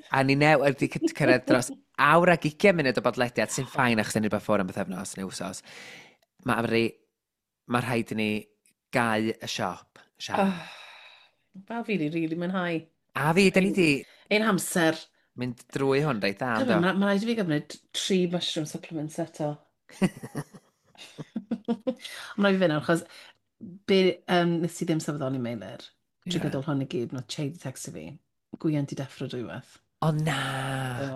a ni new wedi cyrraedd dros awr ag 20 munud o bodlediad, sy'n fine achos ni'n rhywbeth ffwrdd am bythefnos neu wsos. Mae rhaid i ni gau y siop. Oh, fel fi di really mwynhau. A fi, da ni di Ein hamser. Mynd drwy hwn reit dda. Mae rhaid i fi gymryd tri mushroom supplements eto. Mae rhaid i fi fynd, achos be, nes i ddim sylweddoli, Meilir, trwy gydol hwn i gyd, nath Che di texto fi. Gwion di deffro dwywaith. O na! So,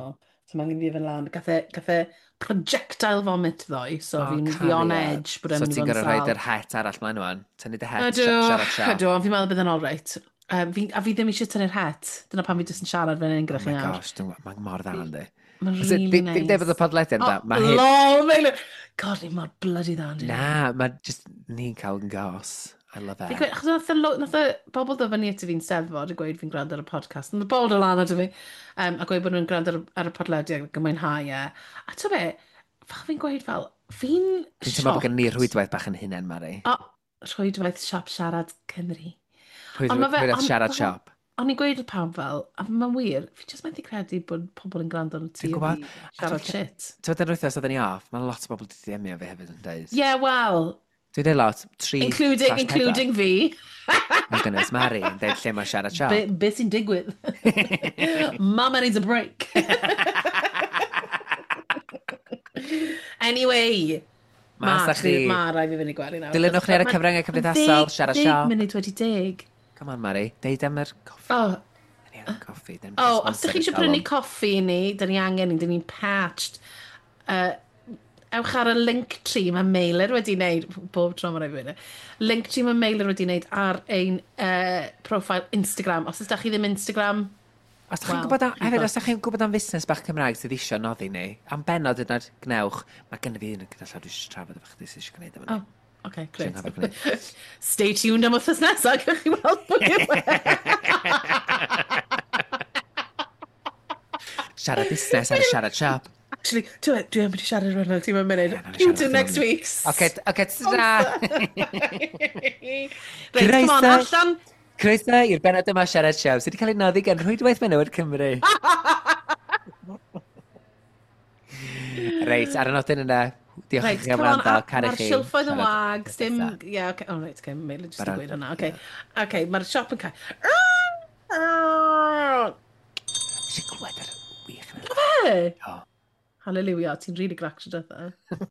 so mae'n fi fynd lan. Gath e projectile vomit ddoe, so oh, fi'n fi on edge bod e'n So ti'n gorfod rhoid yr het arall mlaen wan? Tynnu dy het, siarad siarad. Ydw, ond fi'n meddwl bydd yn all right. A fi ddim eisiau tynnu'r het. Dyna pam fi jyst yn siarad fan hyn gyda chi nawr. Oh my gosh, mae'n mor dda, yndi. Mae'n really nice. Dim dweud bod y podlediad yn dda. Oh, lol, Meilir! God, ni mor bloody dda, yndi. Na, mae just ni'n cael yn gos. I love it. Achos nath y bobl ddod fyny at fi'n steddfod a gweud fi'n gwrando ar y podcast. Nath y bobl dod lan at fi a gweud bod nhw'n gwrando ar y podlediad ac yn mwynhau e. A ti'n be, fel fi'n gweud fel, fi'n Fi'n teimlo bod gen ni rhwydwaith bach yn hunain, Mari. O, rhwydwaith siop siarad Cymru. Rhwydwaith siarad siop. O'n i'n gweud wrth pawb fel, a mae'n wir, fi jyst methu credu bod pobl yn gwrando ar ti a fi siarad shit. Ti'n gwybod, yr wythnos oedden ni off, mae lot o bobl wedi DM-io fi hefyd yn dweud. Yeah, well, Dwi'n dweud lot, tri Including fi. My goodness, Mari yn dweud lle mae siarad siop. Be sy'n digwydd? Mama needs a break. Anyway. Mas â chi. Ma rhaid fi fynd i gwely nawr. Dilynwch ni ar y cyfryngau cymdeithasol, siarad siop. 10:40. Come on, Mari. Deud am yr coffi. Oh. Da ni angen coffi. Oh, os ydych chi eisiau prynu coffi i ni, da ni angen ni, da ni'n parched. Ewch ar y link tree mae Meilir wedi wneud, bob tro mae'n rhaid fi weud, link tree mae Meilir wedi wneud ar ein profile Instagram. Os ydych chi ddim Instagram, Os ydych chi'n gwybod, hefyd, os ydych chi'n gwybod am fusnes bach Cymraeg sydd eisiau noddi ni, am benod yna'r gnewch, mae gen i fi un gyda llaw dwi eisiau trafod efo chdi sydd eisiau gwneud efo ni. Oh, okay, great. Stay tuned am wythnos nesaf, gewch chi weld pwy yw e. Siarad busnes ar y siarad siop. Actually, dwi am wedi siarad rhan o'r tîm yn munud. Tune in next week. Oce, ta! Reit, come on, allan. Croeso i'r benod yma siarad siop sydd wedi cael ei noddi gan Rhwydwaith Menywod Cymru. Reit, ar y nodyn yna, diolch i chi am wrando, caru chi. Mae'r silffoedd yn wag, dim. Ie, oce, oh, reit, oce, Meilir jyst yn gweud hwnna, oce. Oce, mae'r siop yn cael. Eisiau clywed yr wych yna. Fe? O. Hallelujah, ti'n really grac tro dwetha.